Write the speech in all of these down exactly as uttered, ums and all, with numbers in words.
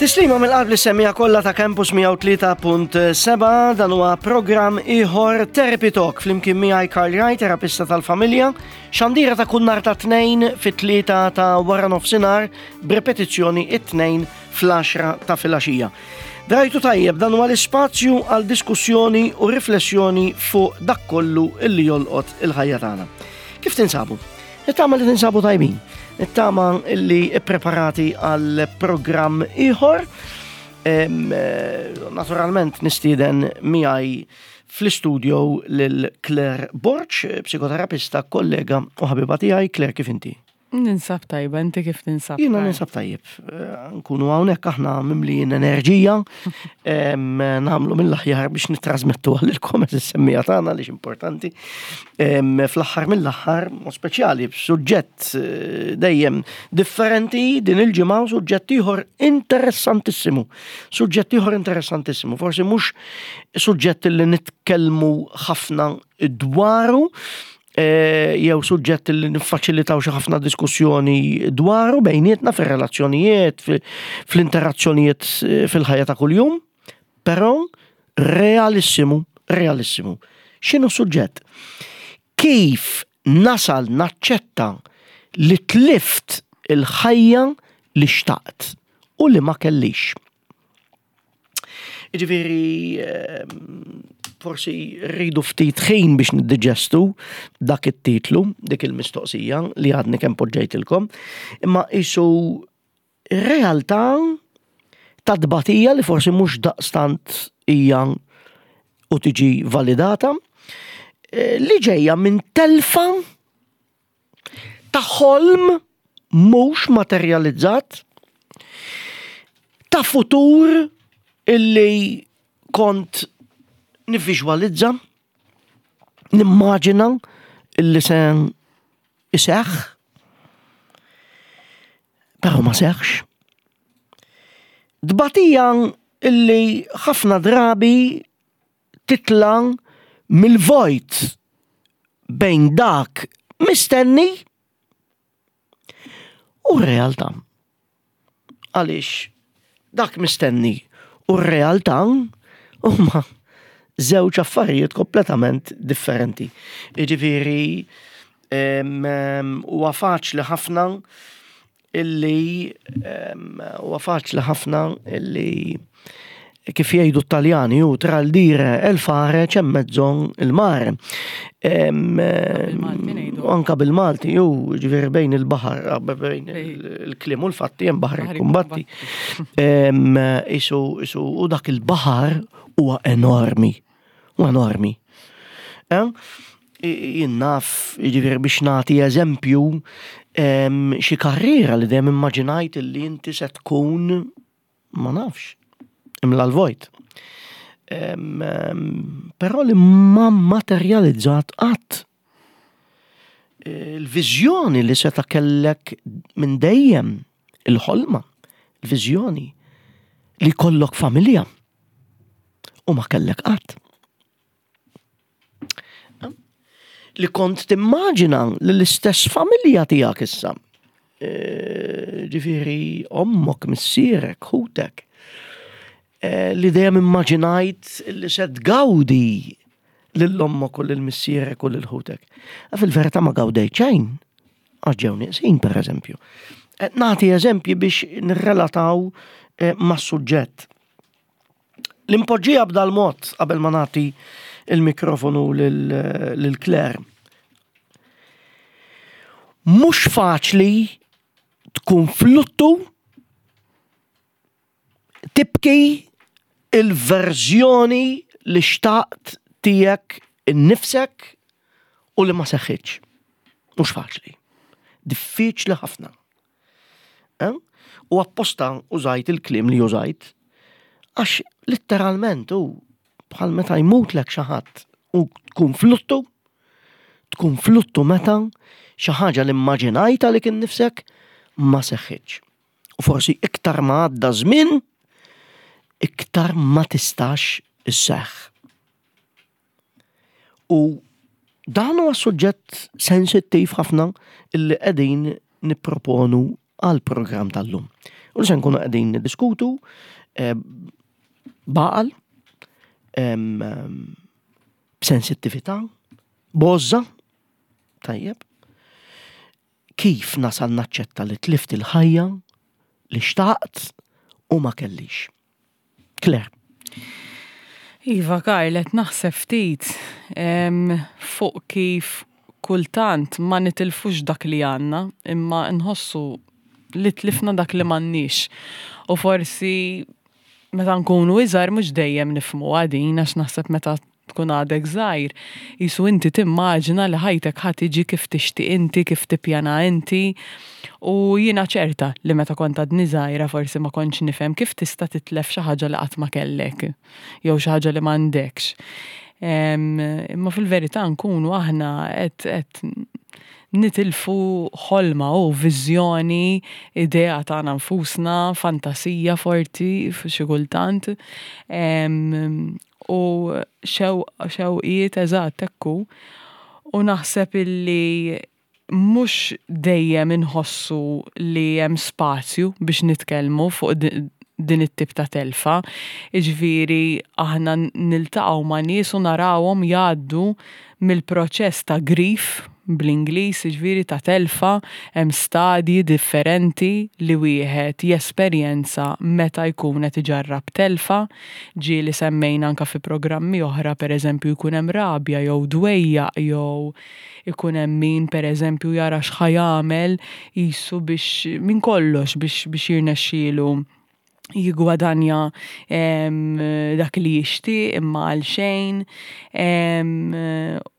Tislima mill-qalb li semmija kollha ta' Campus mija u tlieta punt seba', dan huwa programm ieħor Therapy Talk flimkien miegħi Karl Raj, terapista tal-familja, xandira ta' kull nhar ta' tnejn fit-tlieta ta' wara nofsinhar b'repetizzjoni it-tnejn fl-għaxra ta' filgħaxija. Drajtu tajjeb, dan huwa l-ispazju għal diskussjoni u riflessjoni fuq dak kollu illi jolqot il-ħajja tagħna. Kif tinsabu? Nittama li tinsabu tajbin. Nittama li ippreparati għal programm ieħor. Em, eh, naturalment nistieden miegħi fl-istudio lil Claire Borg, psikoterapista, kollega u ħabiba tiegħi. Claire, kif inti? Ninsab tajba, inti kif tinsab? Jiena ninsab tajjeb. Eh, nkunu hawnhekk aħna mimlijin enerġija, em, nagħmlu mill-aħjar biex nittrażmettu għalilkom is-semmija tagħna li importanti. Em, fl-aħħar mill-aħħar, u speċjali b'suġġett, eh, dejjem differenti din il-ġimgħa, suġġett ieħor interessantissimu. Suġġett ieħor interessantissimu, forsi mhux suġġett li nitkellmu ħafna dwaru, eh, jew suġġett li niffaċilitaw xi ħafna diskussjoni dwaru bejnietna fir-relazzjonijiet, fi-, fl-interazzjonijiet, eh, fil-ħajja ta' kuljum, però realissimu, realissimu. X'inhu suġġett? Kif nasal naċċetta li tlift il-ħajja li xtaqt u li ma kellix? Jiġifieri, ehm, forsi rridu ftit ħin biex niddiġestu dak it-titlu, dik il-mistoqsija li għadni kemm poġġejtilkom, imma isu realtà ta' tbatija li forsi mhux daqstant hija u tiġi validata, eh, li ġejja minn telfa ta' ħolm mhux materializzat, ta' futur illi kont nivviżwalizza, nimmaġina illi se iseħħ, però ma seħħx. Tbatija illi ħafna drabi titla' mill-vojt bejn dak mistenni u r-realtà. Għaliex dak mistenni u r-realtà huma żewġ affarijiet kompletament differenti. Jiġifieri, em, em, huwa faċli ħafna illi, em, huwa faċli ħafna illi kif jgħidu t-Taljani, u tra l-dire e l-fare c'è mezzo il mare. Em, Bil-Malti ngħidu. Anka bil-Malti, ju, ġifieri bejn il-baħar, bejn Bejn. il-kliem u l-fatti, hemm baħar Baħar ikkumbatti. ikkumbatti. Em, isu, isu, u dak il-baħar huwa enormi. Huwa enormi. Eh? Jien naf, jiġifieri biex nagħti eżempju, em, xi karriera li dejjem immaġinajt li inti se tkun, ma nafx, imla l-vojt. Em, em, però li ma materializzat qatt. Il-viżjoni li seta' kellek minn dejjem, il-ħolma, il-viżjoni li kollok familja u ma kellek qatt. Li kont timmaġina li l-istess familja tiegħek issa. E, ġifieri ommok, missierek, ħutek. E, li dejjem immaġinajt li se tgawdi lil ommok u lil missierek u lil ħutek. A fil-verità ma gawdejt xejn, għax ġew nieqsin, per eżempju. E, nagħti eżempji biex nirrelataw, e, mas-suġġett. L-impoġġija b'dal mod qabel ma nagħti il-mikrofonu lil, lil Claire. Mhux faċli tkun fluttu tibki il-verżjoni li xtaqt tiegħek innifsek u li ma seħħitx. Mhux faċli. Diffiċli ħafna. Eh? U apposta użajt il-kliem li użajt għax letteralment u bħal meta jmutlek xi ħadd u tkun fluttu, tkun fluttu meta xi ħaġa li immaġinajta li kien nifsek ma seħħitx. U forsi iktar ma għadda żmien, iktar ma tistax isseħħ. U dan huwa suġġett sensittiv ħafna illi qegħdin nipproponu għal programm tal-lum. U li se nkunu qegħdin niddiskutu eh, b'għaqal, em, em, b'sensittività, b'għożża, tajjeb, kif nasal naċċetta li tlift il-ħajja li xtaqt u ma kellix. Claire. Iva, Karlet, naħseb ftit em, fuq kif kultant ma nitilfux dak li għandna, imma nħossu li tlifna dak li m'għandniex. U forsi meta nkunu iżgħar mhux dejjem nifhmu din, għax naħseb meta tkun għadek żgħir, qisu inti timmaġina li ħajtek ħa tiġi kif tixtieq inti, kif tippjana inti. U jiena ċerta li meta kont għadni żgħira forsi ma kontx nifhem kif tista' titlef xi ħaġa li qatt ma kellek, jew xi ħaġa li m'għandekx. Em, Imma fil-verità nkunu aħna qed qed nitilfu ħolma u viżjoni, idea tagħna nfusna, fantasija forti xi kultant. Em, U xew xewqiet eżatt ekku. U naħseb illi mhux dejjem inħossu li hemm spazju biex nitkellmu fuq di- din it-tip ta' telfa. Iġifieri aħna niltaqgħu ma' nies u narawhom jgħaddu mill-proċess ta' grief bl-Ingliż, jiġifieri ta' telfa, hemm stadji differenti li wieħed jesperjenza meta jkun qed iġarrab telfa. Ġieli semmejna anka fi programmi oħra, pereżempju jkun hemm rabja jew dwejjaq jew ikun hemm min pereżempju jara x'ħa jagħmel qisu biex minn kollox biex biex jirnexxielu jigwadanja em, dak li jixtieq imma għal xejn. Em,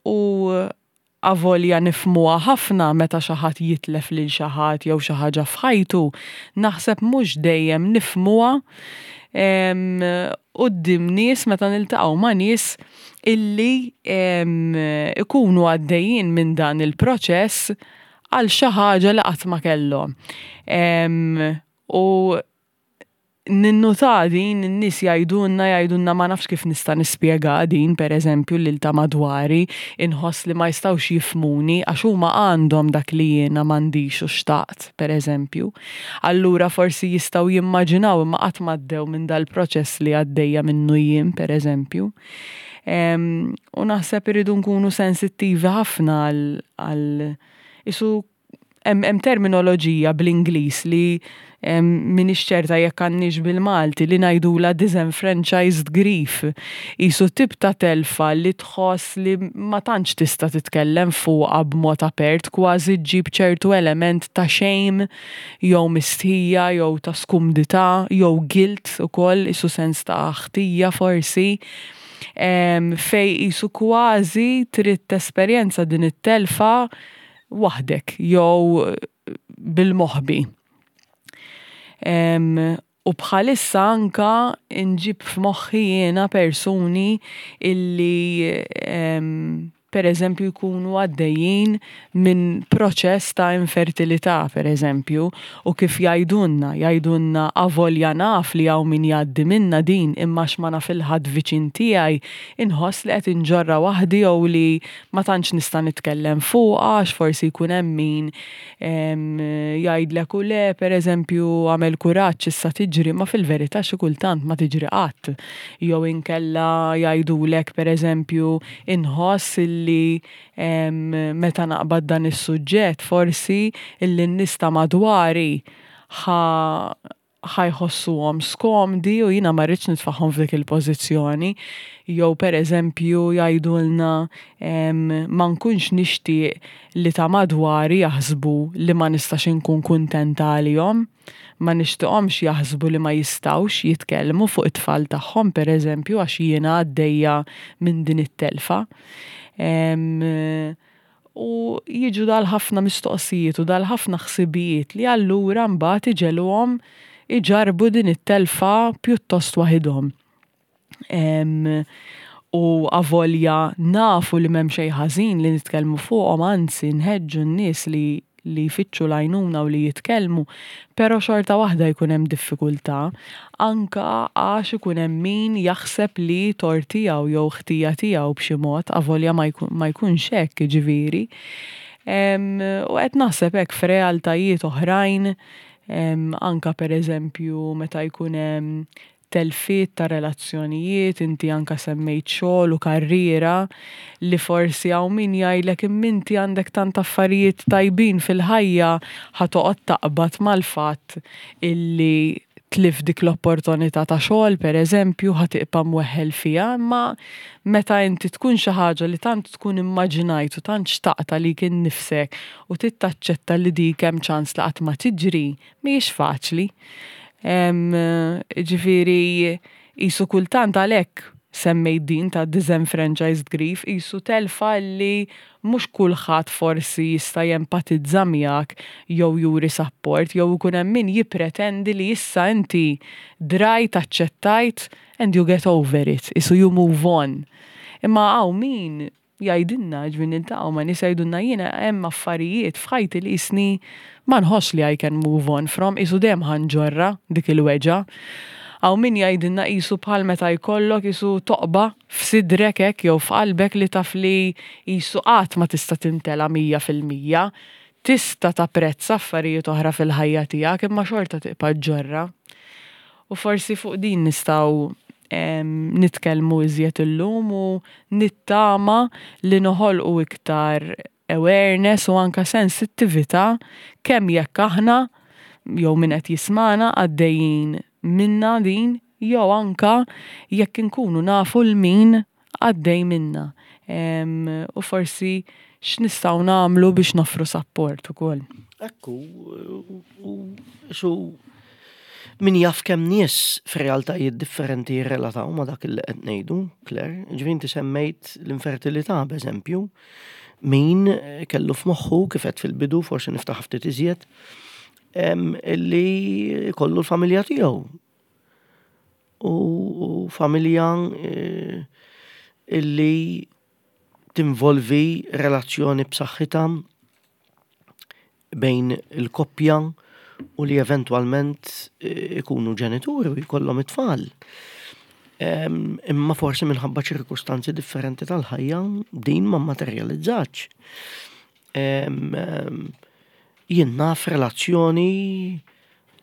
U avolja nifhmuha ħafna meta xi ħadd jitlef lil xi ħadd jew xi ħaġa f'ħajtu, naħseb mhux dejjem nifhmuha em, quddiem nies meta niltaqgħu ma' nies illi em, ikunu għaddejjin minn dan il-proċess għal xi ħaġa li qatt ma kellhom. Em, U ninnuta din in-nies jgħidulna jgħidulna ma nafx kif nista' nispjega din pereżempju lil ta' madwari, inħoss li ma jistgħux jifhmuni għax huma għandhom dak li jiena m'għandix u xtaqt pereżempju. Allura forsi jistgħu jimmaġinaw imma qatt m'għaddew minn dal-proċess li għaddejja minnu jien pereżempju. Em, U naħseb irridu nkunu sensittivi ħafna għal għal isu hemm hemm terminoloġija bl-Ingliż li em, m'iniex ċerta jekk għandniex bil-Malti li ngħidula disenfranchised grief. Qisu tip ta' telfa li tħoss li ma tantx tista' titkellem fuqha b'mod apert, kważi ġġib ċertu element ta' shame jew mistħija jew ta' skumdità jew guilt ukoll, qisu sens ta' ħtija forsi. Em, Fej qisu kważi trid tesperjenza din it-telfa waħdek jew bil-moħbi. Em, U bħalissa anka nġib f'moħħi jiena persuni illi em, per eżempju jkunu għaddejjin minn proċess ta' infertilità, per eżempju, u kif jgħidulna, jgħidulna avolja naf li hawn min jgħaddi minna din, imma x'ma naf il-ħadd viċin tiegħi, inħoss li qed inġorra waħdi jew li ma tantx nista' nitkellem fuqha, għax forsi jkun hemm min em, jgħidlek u le, per eżempju, għamel kuraġġ issa tiġri, ma fil-verità xi kultant ma tiġri qatt. Jew inkella jgħidulek, per eżempju, inħoss illi em, meta naqbad dan is-suġġett forsi illi n-nies ta' madwari ħa ħa jħossuhom skomdi u jiena ma rridx nitfagħhom f'dik il-pożizzjoni. Jew per eżempju jgħidulna em, ma nkunx nixtieq li ta' madwari jaħsbu li ma nistax inkun kuntenta għalihom, ma nixtieqhomx jaħsbu li ma jistgħux jitkellmu fuq it-tfal tagħhom per eżempju għax jiena għaddejja minn din it-telfa. Em, U jiġu dal-ħafna mistoqsijiet u dal-ħafna ħsibijiet li allura mbagħad iġegħluhom iġarbu din it-telfa pjuttost waħidhom. Em, U avolja nafu li m'hemm xejn ħażin li nitkellmu fuqhom, anzi nħeġġu n-nies li li jfittxu l-għajnuna u li jitkellmu, però xorta waħda jkun hemm diffikultà, anka għax ikun hemm min jaħseb li tort tiegħu jew ħtija tiegħu b'xi mod, avolja ma jkun, ma jkunx hekk jiġifieri. Em, U qed naħseb hekk f'realtajiet oħrajn Anka per eżempju meta jkun hemm telfiet ta' relazzjonijiet, inti anka semmejt xogħol u karriera li forsi hawn min jgħidlek imma inti għandek tant affarijiet tajbin fil-ħajja, ħa toqgħod taqbad mal-fatt illi tlift dik l-opportunità ta' xogħol, per eżempju, ħa tibqa' mweħħel fiha, imma meta inti tkun xi ħaġa li tant tkun immaġinajt u tant xtaqta li kien nifsek u tittaċċetta li dik hemm ċans li qatt ma tiġri, mhijiex faċli. Ġifieri qisu kultant għalhekk semmejt din ta' disenfranchised grief, qisu telfa li mhux kulħadd forsi jista' jempatizza miegħek jew juri support jew ikun hemm min jippretendi li issa inti drajt, aċċettajt and you get over it, qisu you move on. Imma hawn min jgħidilna, ġifieri niltaqgħu ma' nies jgħidulna jiena hemm affarijiet f'ħajti li jisni ma nħoss li I can move on from, qisu dejjem ħa nġorrha dik il-weġgħa. Hawn min jgħidilna qisu bħal meta jkollok qisu toqba f'sidrek hekk jew f'qalbek li taf li qisu qatt ma tista' timtela mija fil-mija. Tista' tapprezza affarijiet oħra fil-ħajja tiegħek imma xorta tibqa' ġġorrha. U forsi fuq din nistgħu nitkellmu iżjed illum u nittama li noħolqu iktar awareness u anka sensittività kemm jekk aħna jew min qed jismana għaddejjin minna din jew anka jekk inkunu nafu 'l min għaddej minna. U forsi x'nistgħu nagħmlu biex noffru support ukoll. Ekku, u su min jaf kemm nies f'realtajiet differenti jirrelataw ma' dak li qed ngħidu, Claire. Ġifieri inti semmejt l-infertilità, b'eżempju, min kellu f'moħħu kif qed fil-bidu, forsi niftaħ ftit iżjed, illi kollu l-familja tiegħu. U familja eh, illi tinvolvi relazzjoni b'saħħitha bejn il-koppja u li eventwalment eh, ikunu ġenituri u jkollhom it-tfal. Imma forsi minħabba ċirkustanzi differenti tal-ħajja din ma materializzatx. Jien naf relazzjoni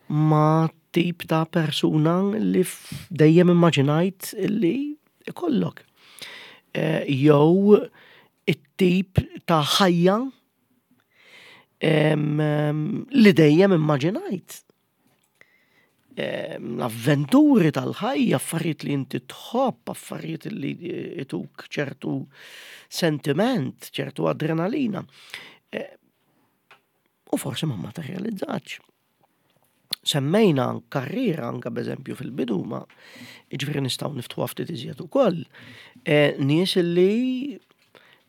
ma' tip ta' persuna li dejjem immaġinajt li ikollok. Eh, jew it-tip ta' ħajja li dejjem immaġinajt. L-avventuri tal-ħajja, affarijiet li inti tħobb, affarijiet li jtuk ċertu sentiment, ċertu adrenalina. Eh, u forsi ma materializzatx. Semmejna karriera anka b'eżempju fil-bidu, ma ġifieri nistgħu niftħu ftit iżjed ukoll. Eh, nies li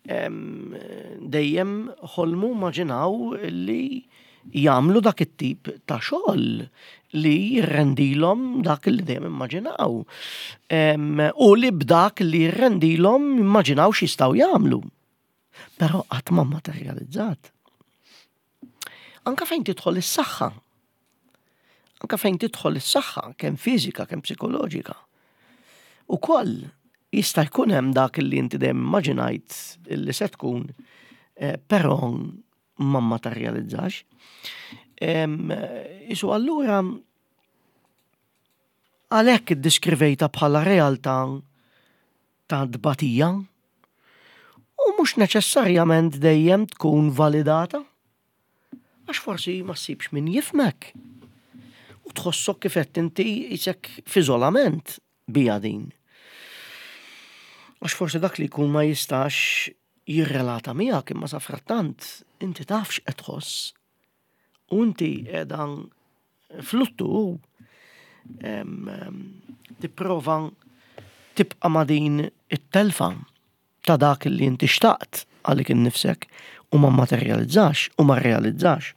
dejjem ħolmu, immaġinaw li jagħmlu dak it-tip ta' xogħol li jirrendilhom dak li dejjem immaġinaw. U li b'dak li jirrendilhom immaġinaw x'jistgħu jagħmlu. Però qatt ma materializzat. Anka fejn tidħol is-saħħa. Anka fejn tidħol is-saħħa, kemm fiżika, kemm psikoloġika. Ukoll jista' jkun hemm dak li inti dejjem immaġinajt li se tkun, eh, però ma materializzax. Isu allura għalhekk iddiskrivejta bħala realtà ta' tbatija u mhux neċessarjament dejjem tkun validata. Għax forsi ma ssibx min jifhmek. U tħossok kif qed inti qisek f'iżolament bija din. Għax forsi dak li jkun ma jistax jirrelata miegħek, imma sa frattant inti taf x'qed tħoss. U inti qiegħda fluttu tipprova tibqa' ma' din it-telfa ta' dak li inti xtaqt għalik innifsek u ma materializzax u ma realizzax.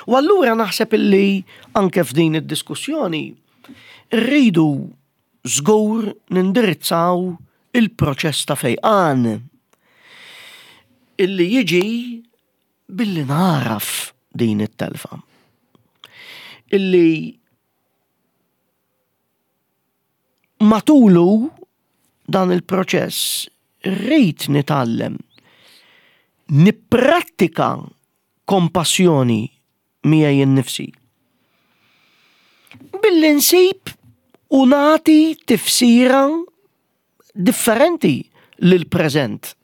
U allura naħseb illi anke f'din id-diskussjoni rridu żgur nindirizzaw il-proċess ta' fejqan illi jiġi billi naraf din it-telfa. Illi matulu dan il-proċess rrid nitgħallem nipprattika kompassjoni miegħi nnifsi? Billi nsib u nagħti tifsira differenti lil-preżent.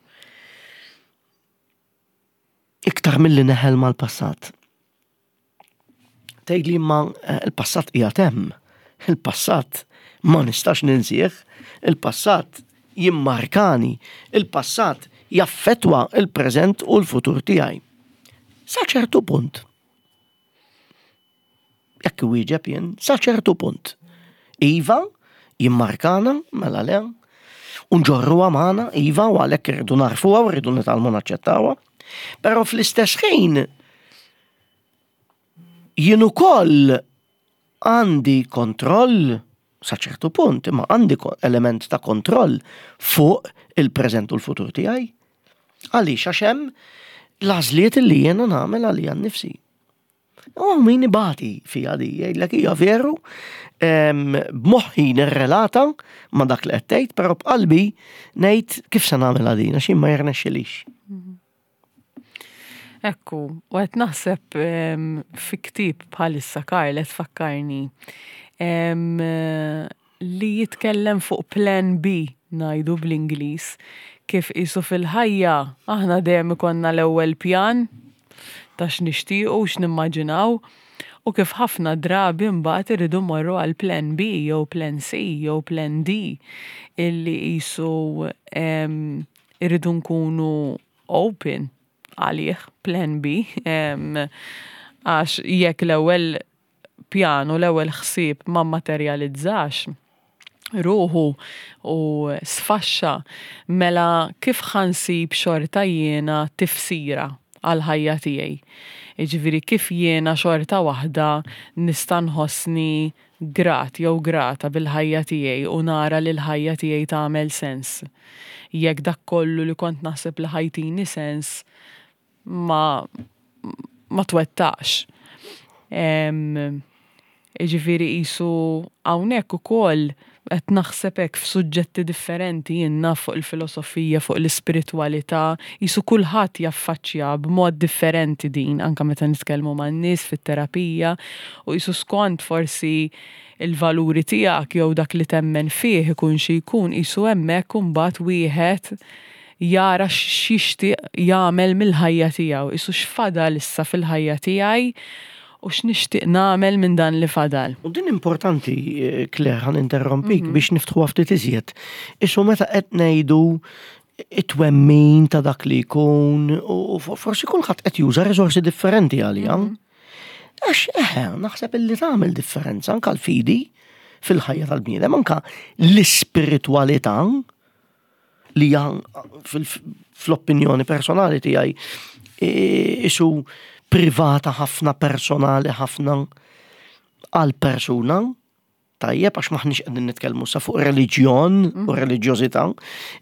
Iktar milli neħel mal-passat. Tgħidli ma eh, il-passat qiegħed hemm. Il-passat ma nistax ninsih, il-passat jimmarkani, il-passat jaffetwa il-preżent u l-futur tiegħi. Sa ċertu punt. Jekk wieġeb jien, sa ċertu punt. Iva, jimmarkana, mela le, u nġorruha magħna, iva, u għalhekk irridu narfuha u rridu nitgħallmu naċċettawha. Però fl-istess ħin jien ukoll għandi kontroll sa ċertu punt, imma għandi element ta' kontroll fuq il-preżent u l-futur tiegħi. Għaliex għax hemm l-għażliet li jiena nagħmel għalija nnifsi. U min ibati fija di, jgħidlek hija veru, b'moħħi nirrelata ma' dak li qed tgħid, però b'qalbi ngħid kif se nagħmel din għax ma jirnexxilix. Ekku, u qed naħseb fi ktieb bħalissa Karl qed tfakkarni li jitkellem fuq plan B ngħidu bl-Ingliż kif qisu fil-ħajja aħna dejjem ikollna l-ewwel pjan ta' x'nixtiequ u x'nimmaġinaw u kif ħafna drabi mbagħad irridu mmorru għal plan B jew plan C jew plan D illi qisu irridu nkunu open għalih plan B għax jekk l-ewwel pjan u l-ewwel ħsieb ma materializzax ruħu u sfaxxa mela kif ħa nsib xorta jiena tifsira għal-ħajja tiegħi. Jiġifieri kif jiena xorta waħda nista' nħossni grat jew grata bil-ħajja tiegħi u nara li l-ħajja tiegħi tagħmel sens. Jekk dak kollu li kont naħseb li ħa jtini sens ma ma twettaqx. Jiġifieri qisu hawnhekk ukoll qed naħseb hekk f'suġġetti differenti jien naf fuq il-filosofija, fuq l-ispiritwalità, qisu kulħadd jaffaċċja b'mod differenti din, anke meta nitkellmu man-nies fit-terapija, u qisu skont forsi il-valuri tiegħek jew dak li temmen fih ikun xi jkun qisu hemmhekk imbagħad wieħed jara x'jixtieq jagħmel mill-ħajja tiegħu, qisu x'fadal issa fil-ħajja tiegħi u x'nixtieq nagħmel minn dan li fadal. U din importanti, Claire, ħa ninterrompik biex niftħu ftit iżjed. Qisu meta qed ngħidu it-twemmin ta' dak li jkun, u forsi kulħadd qed juża riżorsi differenti għalija. Għax eħe, naħseb illi tagħmel differenza anke l-fidi fil-ħajja tal-bniedem, anke l-ispiritwalità li hija fl-opinjoni personali tiegħi isu privata ħafna, personali ħafna għal persuna, tajjeb, għax maħniex qegħdin nitkellmu sa fuq reliġjon u reliġjożità,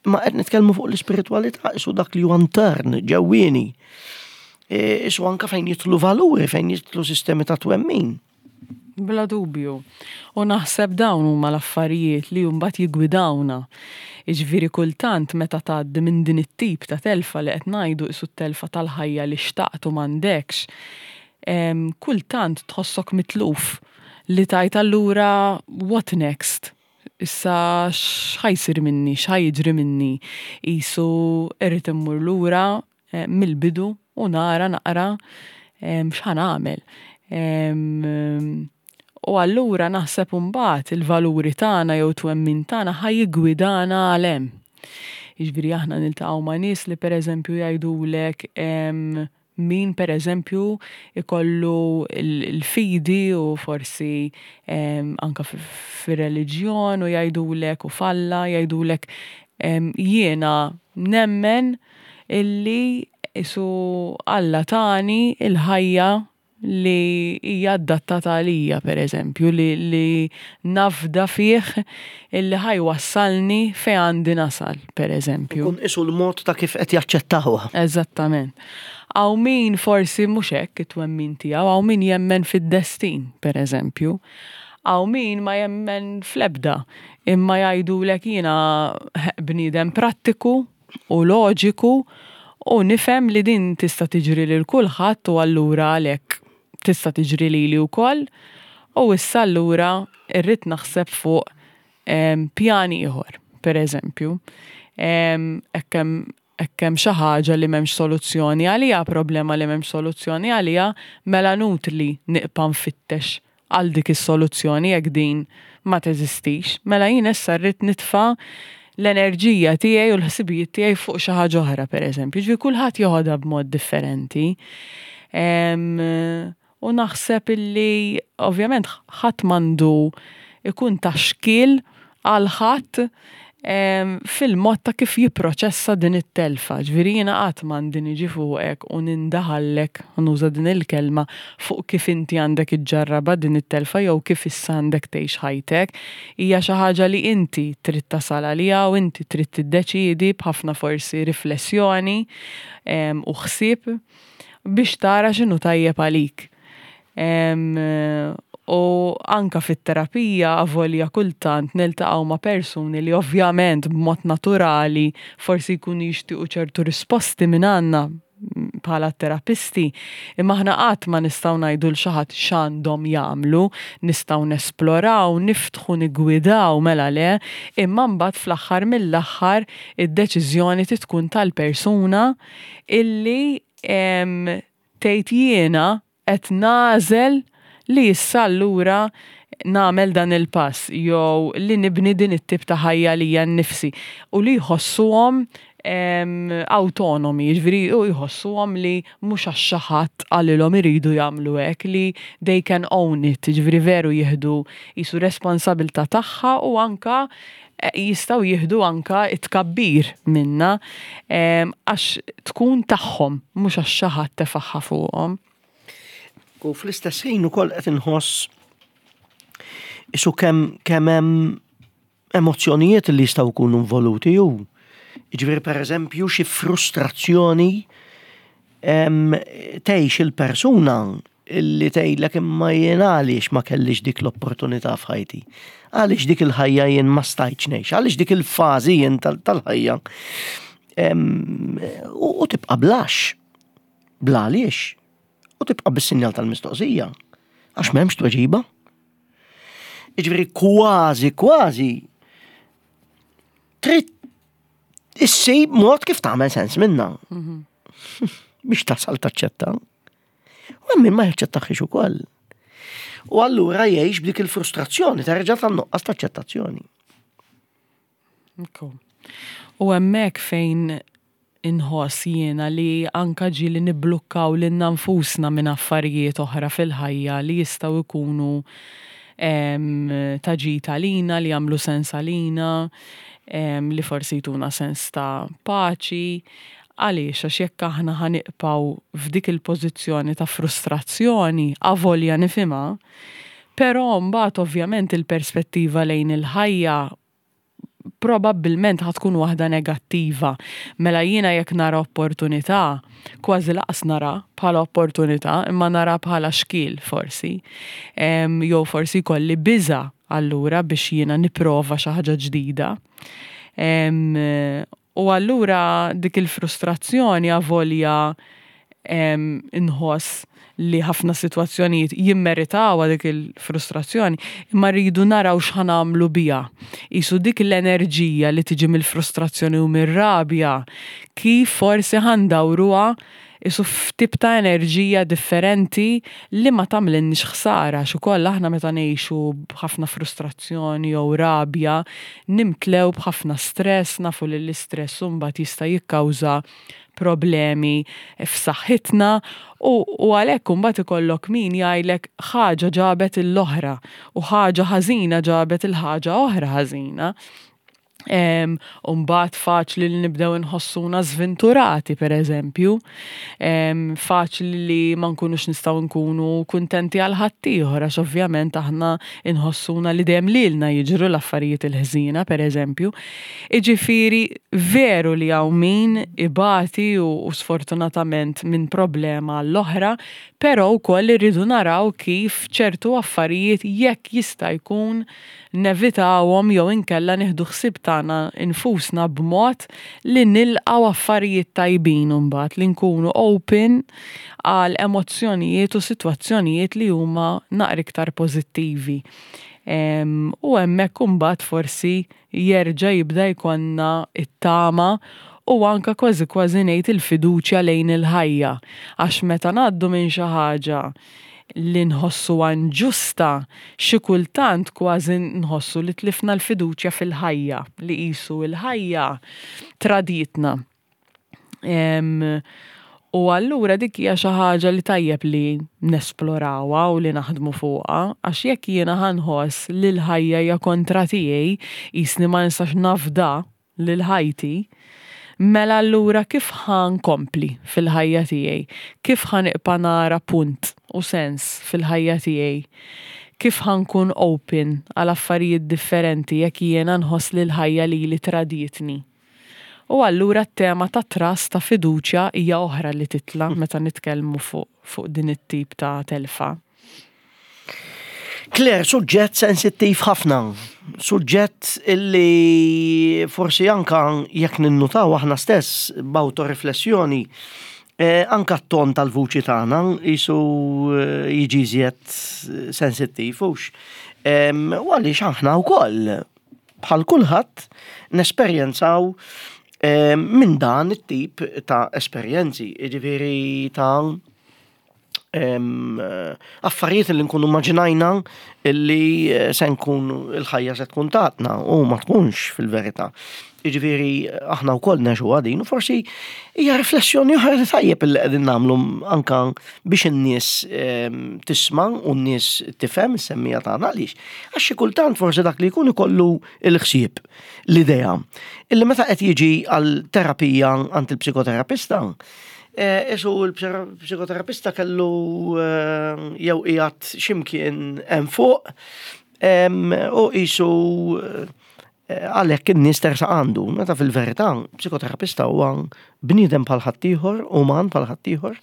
imma qed nitkellmu fuq l-ispiritwalità, isu dak li huwa intern, ġewwieni. Isu anka fejn jidħlu valuri, fejn jidħlu sistemi ta' twemmin. Bla dubju. U naħseb dawn huma l-affarijiet li mbagħad jiggwidawna. Jiġifieri kultant meta tgħaddi minn din it-tip ta' telfa li qed ngħidu qisu t-telfa tal-ħajja li xtaqt u m'għandekx, kultant tħossok mitluf li tgħid allura what next? Issa x'ħa jsir minni, x'ħa jiġri minni? Qisu irrid immur lura mill-bidu u nara naqra x'ħa nagħmel. U allura naħseb imbagħad il-valuri tagħna jew twemmin tagħna ħa jiggwidana għal hemm. Jiġifieri aħna niltaqgħu ma' nies li pereżempju jgħidulek min pereżempju ikollu l-fidi u forsi anka fir-reliġjon u jgħidulek u f'Alla jgħidulek jiena nemmen illi isu Alla tani il-ħajja li hija adattata għalija pereżempju, li, li nafda fih illi ħa jwassalni fejn għandi nasal pereżempju. Kun isu l-mod ta' kif qed jaċċettawha. Eżattament. Hawn min forsi mhux hekk it-twemmin tiegħu, hawn min jemmen fid-destin pereżempju. Hawn min ma jemmen fl-ebda, imma jgħidulek jiena bniedem prattiku u loġiku u nifhem li din tista' tiġri lil kulħadd u allura għalhekk Tista' tiġri lili wkoll u issa allura irrid naħseb fuq pjan ieħor, per eżempju. Hekk hemm xi ħaġa li m'hemmx soluzzjoni għaliha, problema li m'hemmx soluzzjoni għaliha, mela nutli nibqa' nfittex għal dik is-soluzzjoni jekk din ma teżistix. Mela jien issa rrid nitfa' l-enerġija tiegħi u l-ħsibijiet tiegħi fuq xi ħaġa oħra, pereżempju. Ġifieri kulħadd joħodha b'mod differenti. U naħseb illi ovvjament ħadd m'għandu ikun ta' xkiel għal ħadd fil-mod ta' kif jipproċessa din it-telfa. Ġifieri jiena qatt m'għandi niġi fuqek u nindaħallek, nuża din il-kelma, fuq kif inti għandek iġġarrabha din it-telfa jew kif issa għandek tgħix ħajtek. Hija xi ħaġa li inti trid tasal għaliha u inti trid tiddeċiedi b'ħafna forsi riflessjoni u ħsieb biex tara x'inhu tajjeb għalik. U anka fit-terapija avolja kultant niltaqgħu ma' persuni li ovvjament b'mod naturali forsi jkunu jixtiequ ċertu risposti minn għandna bħala terapisti, imma aħna qatt ma nistgħu ngħidu lil xi ħadd x'għandhom jagħmlu, nistgħu nesploraw, niftħu, niggwidaw, mela le, imma mbagħad fl-aħħar mill-aħħar id-deċiżjoni trid tkun tal-persuna illi tgħid jiena qed nagħżel li issa allura nagħmel dan il-pass jew li nibni din it-tip ta' ħajja lija nnifsi u li jħossuhom autonomi, jiġifieri u jħossuhom li mhux għax xi ħadd qalilhom iridu jagħmlu hekk, li they can own it, jiġifieri veru jieħdu qisu responsabilità tagħha u anka jistgħu jieħdu anka it-tkabbir minna għax tkun tagħhom, mhux għax xi ħadd tefagħha fuqhom. U fl-istess ħin ukoll qed inħoss isu kemm kemm hemm emozzjonijiet li jistgħu jkunu involuti ju. Jiġifieri pereżempju xi frustrazzjoni tgħix il-persuna illi tgħidlek imma jien għaliex ma kellix dik l-opportunità f'ħajti. Għaliex dik il-ħajja jien ma stajtx ngħix, għaliex dik il-fażi jien tal-ħajja. U tibqa' blax. Bla għaliex. U tibqa' bis-sinjal tal-mistoqsija. Għax m'hemmx tweġiba. Jiġifieri kważi, kważi trid issib mod kif tagħmel sens minna. Biex tasal taċċetta. U hemm min ma jaċċettaħiex ukoll. U allura jgħix b'dik il-frustrazzjoni terġa' tan-nuqqas taċċettazzjoni. U hemmhekk fejn inħoss jiena li anka ġieli nibblukkaw lilna nfusna minn affarijiet oħra fil-ħajja li jistgħu jkunu ta' ġid għalina, li jagħmlu sens għalina, li forsi jtuna sens ta' paċi. Għaliex, għax jekk aħna ħa nibqgħu f'dik il-pożizzjoni ta' frustrazzjoni, avolja nifhimha, però mbagħad ovvjament il-perspettiva lejn il-ħajja probabbilment ħa tkun waħda negattiva. Mela jiena jekk nara opportunità, kważi laqas nara bħala opportunità, imma nara bħala xkiel forsi. Jew forsi jkolli biża' allura biex jiena nipprova xi ħaġa ġdida. U allura dik il-frustrazzjoni avolja inħoss li ħafna sitwazzjonijiet jimmeritawha dik il-frustrazzjoni, imma rridu naraw x'ħa nagħmlu biha. Qisu dik l-enerġija li tiġi mill-frustrazzjoni u mir-rabja, kif forsi ħa ndawruha qisu f'tip ta' enerġija differenti li ma tagħmlilniex ħsara, għax ukoll aħna meta ngħixu b'ħafna frustrazzjoni jew rabja, nimtlew b'ħafna stress, nafu li l-istress mbagħad jista' jikkawża problemi f'saħħitna u, u għalhekk imbagħad ikollok min jgħidlek ħaġa ġabet l-oħra u ħaġa ħażina ġabet il-ħaġa oħra ħażina. U mbagħad faċli li nibdew inħossuna żventurati, per eżempju, faċli li ma nkunux nistgħu nkunu kuntenti għal ħaddieħor, għax ovvjament aħna inħossuna li dejjem lilna jiġru l-affarijiet il-ħżiena, per eżempju. Jiġifieri veru li hawn min ibati u, u sfortunatament minn problema l-oħra, però wkoll irridu naraw kif ċertu affarijiet jekk jista' jkun nevitawhom jew inkella nieħdu ħsieb tagħna tagħna infusna b'mod li nilqgħu affarijiet tajbin imbagħad li nkunu open għal emozzjonijiet u sitwazzjonijiet li huma naqra iktar pożittivi. U hemmhekk imbagħad forsi jerġa' jibda jkollna it-tama u anka kważi kważi ngħid il-fiduċja lejn il-ħajja. Għax meta ngħaddu minn xi ħaġa li nħossu inġusta, xi kultant kważi nħossu li tlifna l-fiduċja fil-ħajja, li qisu l-ħajja traditna. U allura dik hija xi ħaġa li tajjeb li nesplorawha u li naħdmu fuqha, għax jekk jiena ħa nħoss li l-ħajja hija kontra tiegħi, qisni ma nistax nafda lil ħajti, mela allura kif ħa nkompli fil-ħajja tiegħi? Kif ħa nibqa' nara punt u sens fil-ħajja tiegħi? Kif ħa nkun open għal affarijiet differenti jekk jiena nħoss li l-ħajja lili traditni? U allura t-tema ta' trust, ta' fiduċja hija oħra li titla' meta nitkellmu fuq fuq din it-tip ta' telfa. Claire, suġġett sensittiv ħafna, suġġett illi forsi anka jekk ninnutaw aħna stess b'autoriflessjoni, eh, anka t-ton tal-vuċi tagħna qisu eh, jiġi iżjed sensittiv, hux. Em, U għaliex aħna wkoll bħal kulħadd nesperjenzaw eh, minn dan it-tip ta' esperjenzi, jiġifieri ta' em, affarijiet li nkunu immaġinajna illi eh, se nkun il-ħajja se tkun tatna u ma tkunx fil-verità. Jiġifieri aħna wkoll ngħixu din u forsi hija riflessjoni oħra li tajjeb illi qegħdin nagħmlu anka biex in-nies em, tisma' u n-nies tifhem is-semmiegħa tagħna għaliex. Għax xi kultant forsi dak li jkun ikollu l-ħsieb, l-idea illi meta qed jiġi għal terapija għand il-psikoterapista, Eh, Isu il-psikoterapista kellu eh, jew qiegħed x'imkien hemm fuq em, u qisu eh, għalhekk in-nies tersaq għandu. Meta fil-verità psikoterapista huwa bniedem bħal ħaddieħor, uman bħal ħaddieħor,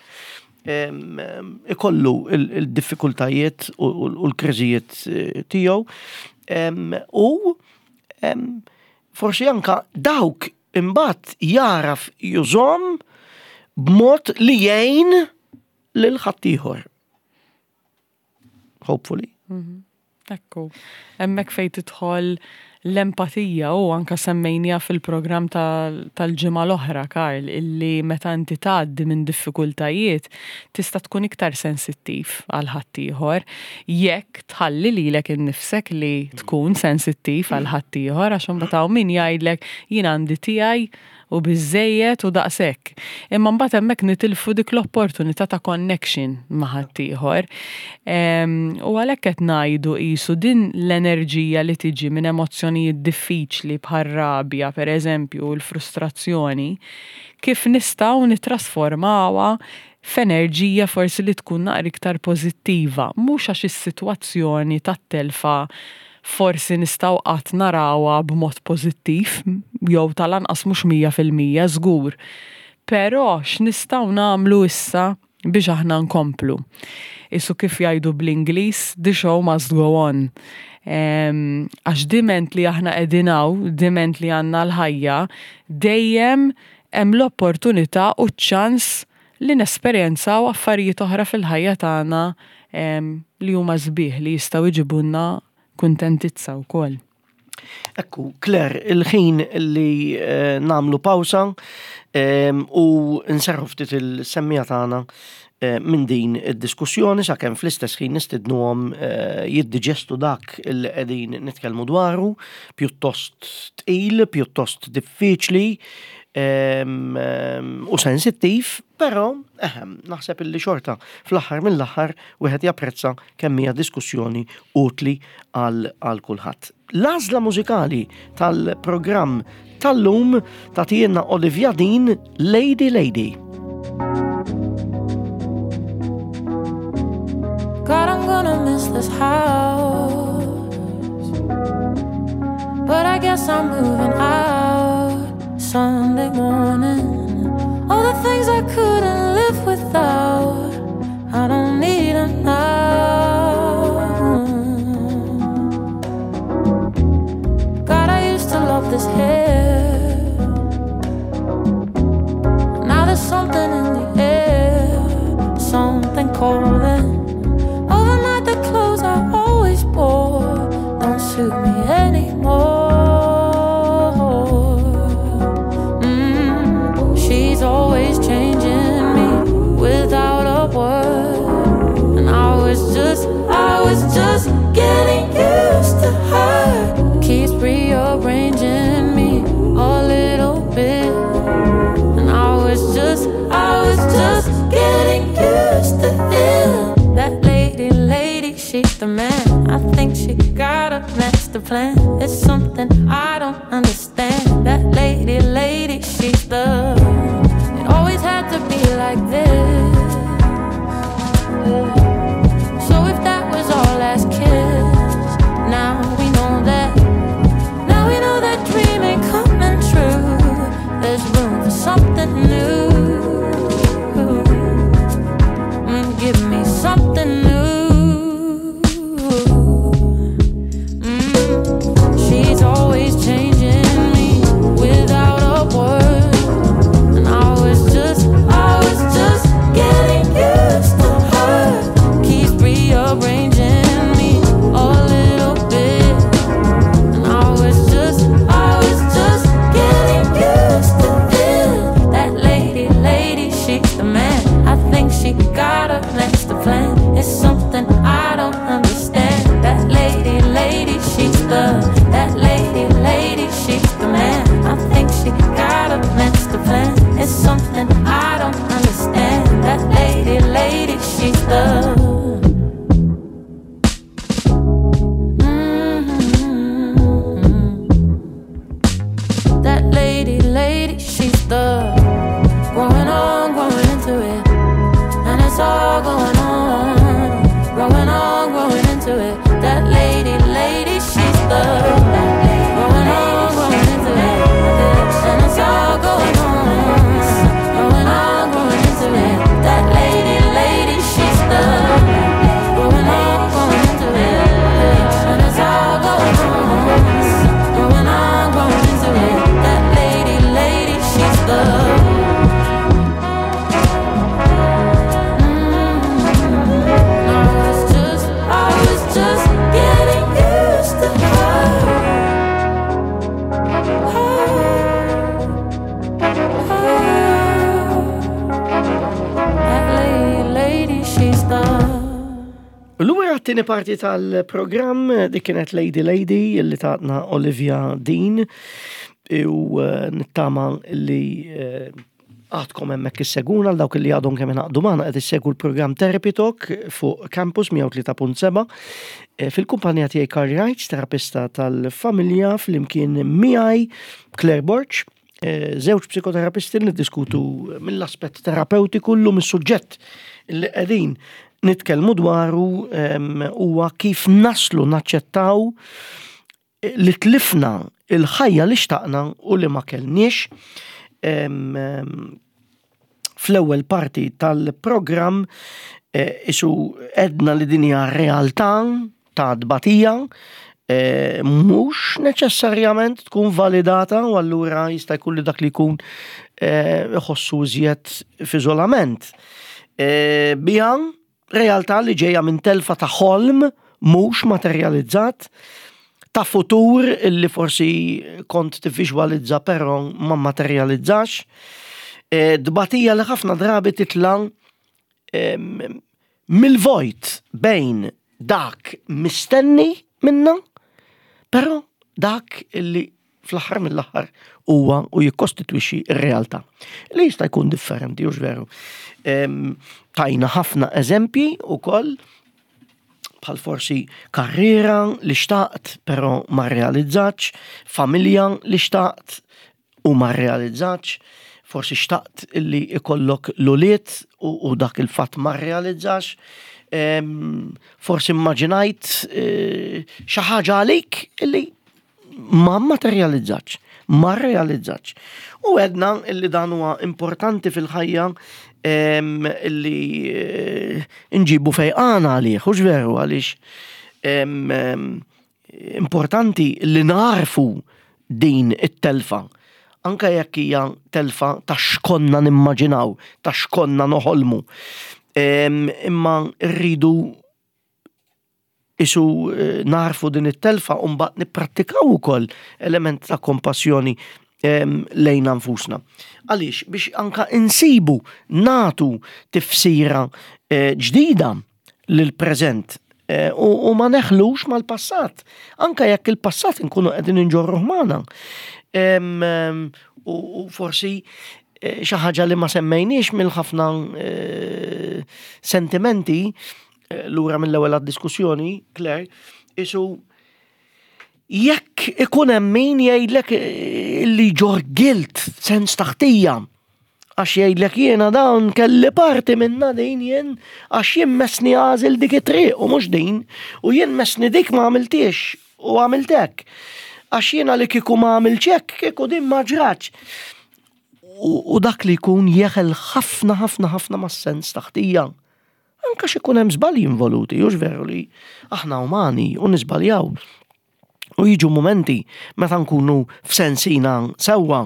em, em, ikollu il- il-diffikultajiet u u l-kriżijiet eh, tiegħu em, u em, forsi anka dawk imbagħad jaraf jużhom b'mod li jgħin lil ħaddieħor. Hopefully. Ekku, hemmhekk fejn tidħol l-empatija u anka semmejnija fil-programm tal- tal-ġimgħa l-oħra, Karl, illi meta inti tgħaddi minn diffikultajiet tista' tkun iktar sensittiv għal ħaddieħor jekk tħalli lilek innifsek li tkun sensittiv għal ħaddieħor, għax imbagħad hawn min jgħidlek jien għandi tiegħi u biżejjed u daqshekk. Imma mbagħad hemmhekk nitilfu dik l-opportunità ta' connection ma' ħaddieħor. Em, U għalhekk qed ngħidu qisu din l-enerġija li tiġi minn emozzjonijiet diffiċli bħal rabja, pereżempju, u l-frustrazzjoni, kif nistgħu nittrasformawha f'enerġija forsi li tkun naqra iktar pożittiva, mhux għax is-sitwazzjoni tat-telfa forsi nistgħu qatt narawha b'mod pożittiv, jew tal-anqas mhux mija fil-mija żgur. Però x'nistgħu nagħmlu issa biex aħna nkomplu? Isu kif jgħidu bl-Ingliż, "The show must go on." Em, Għax diment li aħna qegħdin hawn, diment li għandna l-ħajja, dejjem hemm l-opportunità u ċ-ċans li nesperjenzaw affarijiet oħra fil-ħajja tagħna em, li huma sbieħ li jistgħu jġibulna kuntentizza wkoll. Ekku, Claire, il-ħin li eh, nagħmlu pawsa em, u nserrħu ftit il-semmiegħa tagħna eh, minn din id-diskussjoni sakemm fl-istess ħin nistidnuhom eh, jiddiġestu dak li qegħdin nitkellmu dwaru, pjuttost tqil, pjuttost diffiċli em, em, u sensittiv, però ehem, naħseb illi xorta fl-aħħar mill-aħħar wieħed japprezza kemm hija diskussjoni utli għal għal kulħadd. L-għażla mużikali tal-programm tal-lum tagħtina Olivia Dean, "Lady Lady". God, I'm gonna miss this house, but I guess I'm moving out Sunday morning. All the things I couldn't live without, I don't need 'em now. God, I used to love this hill. like this. So if that was our last kiss, now we know that. Now we know that dream ain't coming true. There's room for something new. Mm, give me something new. Mm, she's always changing me without a word. And I was just, I was just getting used to her. Keeps rearranging me a little bit. And I was just, I was just getting used to it. That lady, lady, she's the man. I think she got a master plan. It's something I don't understand. That lady, lady, she's the, that lady, lady, she's the man. I think she got a master plan. It's something I don't understand. That lady, lady, she's the. Mm-hmm. That lady, lady, she's the. Growing on, growing into it. And it's all going on. Growing on, growing into it. That lady, lady, she's the. Growing on, growing into it. And it's all going on. Growing on, growing into it. That lady, lady, she's the. Growing on, growing into it. And it's all going on. Growing on, growing into it. That lady, lady, she's the. Mm-hmm. I was just, I was just getting used to her. Her, her. That lady, lady, she's the. Lura t-tieni parti tal-programm, dik kienet Lady Lady illi tatna Olivia Dean u eh, nittama li eh, għadkom hemmhekk isseguna għal dawk li għadhom kemm ingħaqdu magħna qed issegwu l-programm Therapy Talk fuq Campus mija u tlieta punt seba' eh, fil-kumpanija tiegħi Karl Wright, terapista tal-familja, flimkien miegħi Claire Borg, eh, żewġ psikoterapisti li niddiskutu mill-aspett terapeutiku llum. Is-suġġett li qegħdin nitkellmu dwaru em, huwa kif naslu naċċettaw li tlifna il-ħajja li xtaqna u li ma kellniex. Em, em, Fl-ewwel parti tal-programm eh, isu għedna li din hija realtà ta' tbatija, eh, mhux neċessarjament tkun validata u allura jista' jkun li dak li jkun eh, iħossu iżjed f'iżolament. Eh, Bija realtà li ġejja minn telfa ta' ħolm mhux materializzat, ta' futur illi forsi kont tivviżwalizza però ma materializzax, eh, Dbatija li ħafna drabi titla em, mill-vojt bejn dak mistenni minna, però dak illi fl-aħħar mill-aħħar huwa u jikkostitwixxi r-realtà. Li jista' jkun differenti, hux veru? Em, Tajna ħafna eżempji ukoll bħal forsi karriera li xtaqt però ma realizzatx, familja li xtaqt u ma realizzatx, forsi xtaqt illi ikollok l-ulied u, u dak il-fatt ma realizzax, em, forsi immaġinajt eh, xi ħaġa għalik illi ma materializzatx, ma realizzatx. U għedna illi dan huwa importanti fil-ħajja em, illi eh, nġibu fejqana għalih, hux veru? Għaliex em, em, importanti li narfu din it-telfa. Anka jekk hija telfa ta' x'konna nimmaġinaw, ta' x'konna noħolmu. Em, Imma rridu isu eh, narfu din it-telfa u mbagħad nipprattikaw ukoll element ta' kompassjoni em, lejn nfusna. Għaliex? Biex anka insibu natu tifsira eh, ġdida lil-preżent eh, u, u ma neħlux mal-passat. Anka jekk il-passat nkunu qegħdin inġorruh magħna. Em, em, U, u forsi eh, xi ħaġa li ma semmejniex mill-ħafna eh, sentimenti eh, lura mill-ewwel għad-diskussjoni, Claire, isu jekk ikun hemm min jgħidlek eh, li ġor guilt, sens ta' ħtija. Għax jgħidlek jiena dawn kelli parti minna din jien, għax jien messni għażilt dik it-triq u mhux din, u jien messni dik ma għamiltix u għamiltek. Għax jiena li kieku ma għamiltx hekk, kieku din ma ġratx. U, u dak li jkun jeħel ħafna ħafna ħafna mas-sens ta' ħtija. Anka x'ikun hemm żbalji involuti, hux veru li aħna umani u niżbaljaw. U jiġu momenti meta nkunu f'sensina sewwa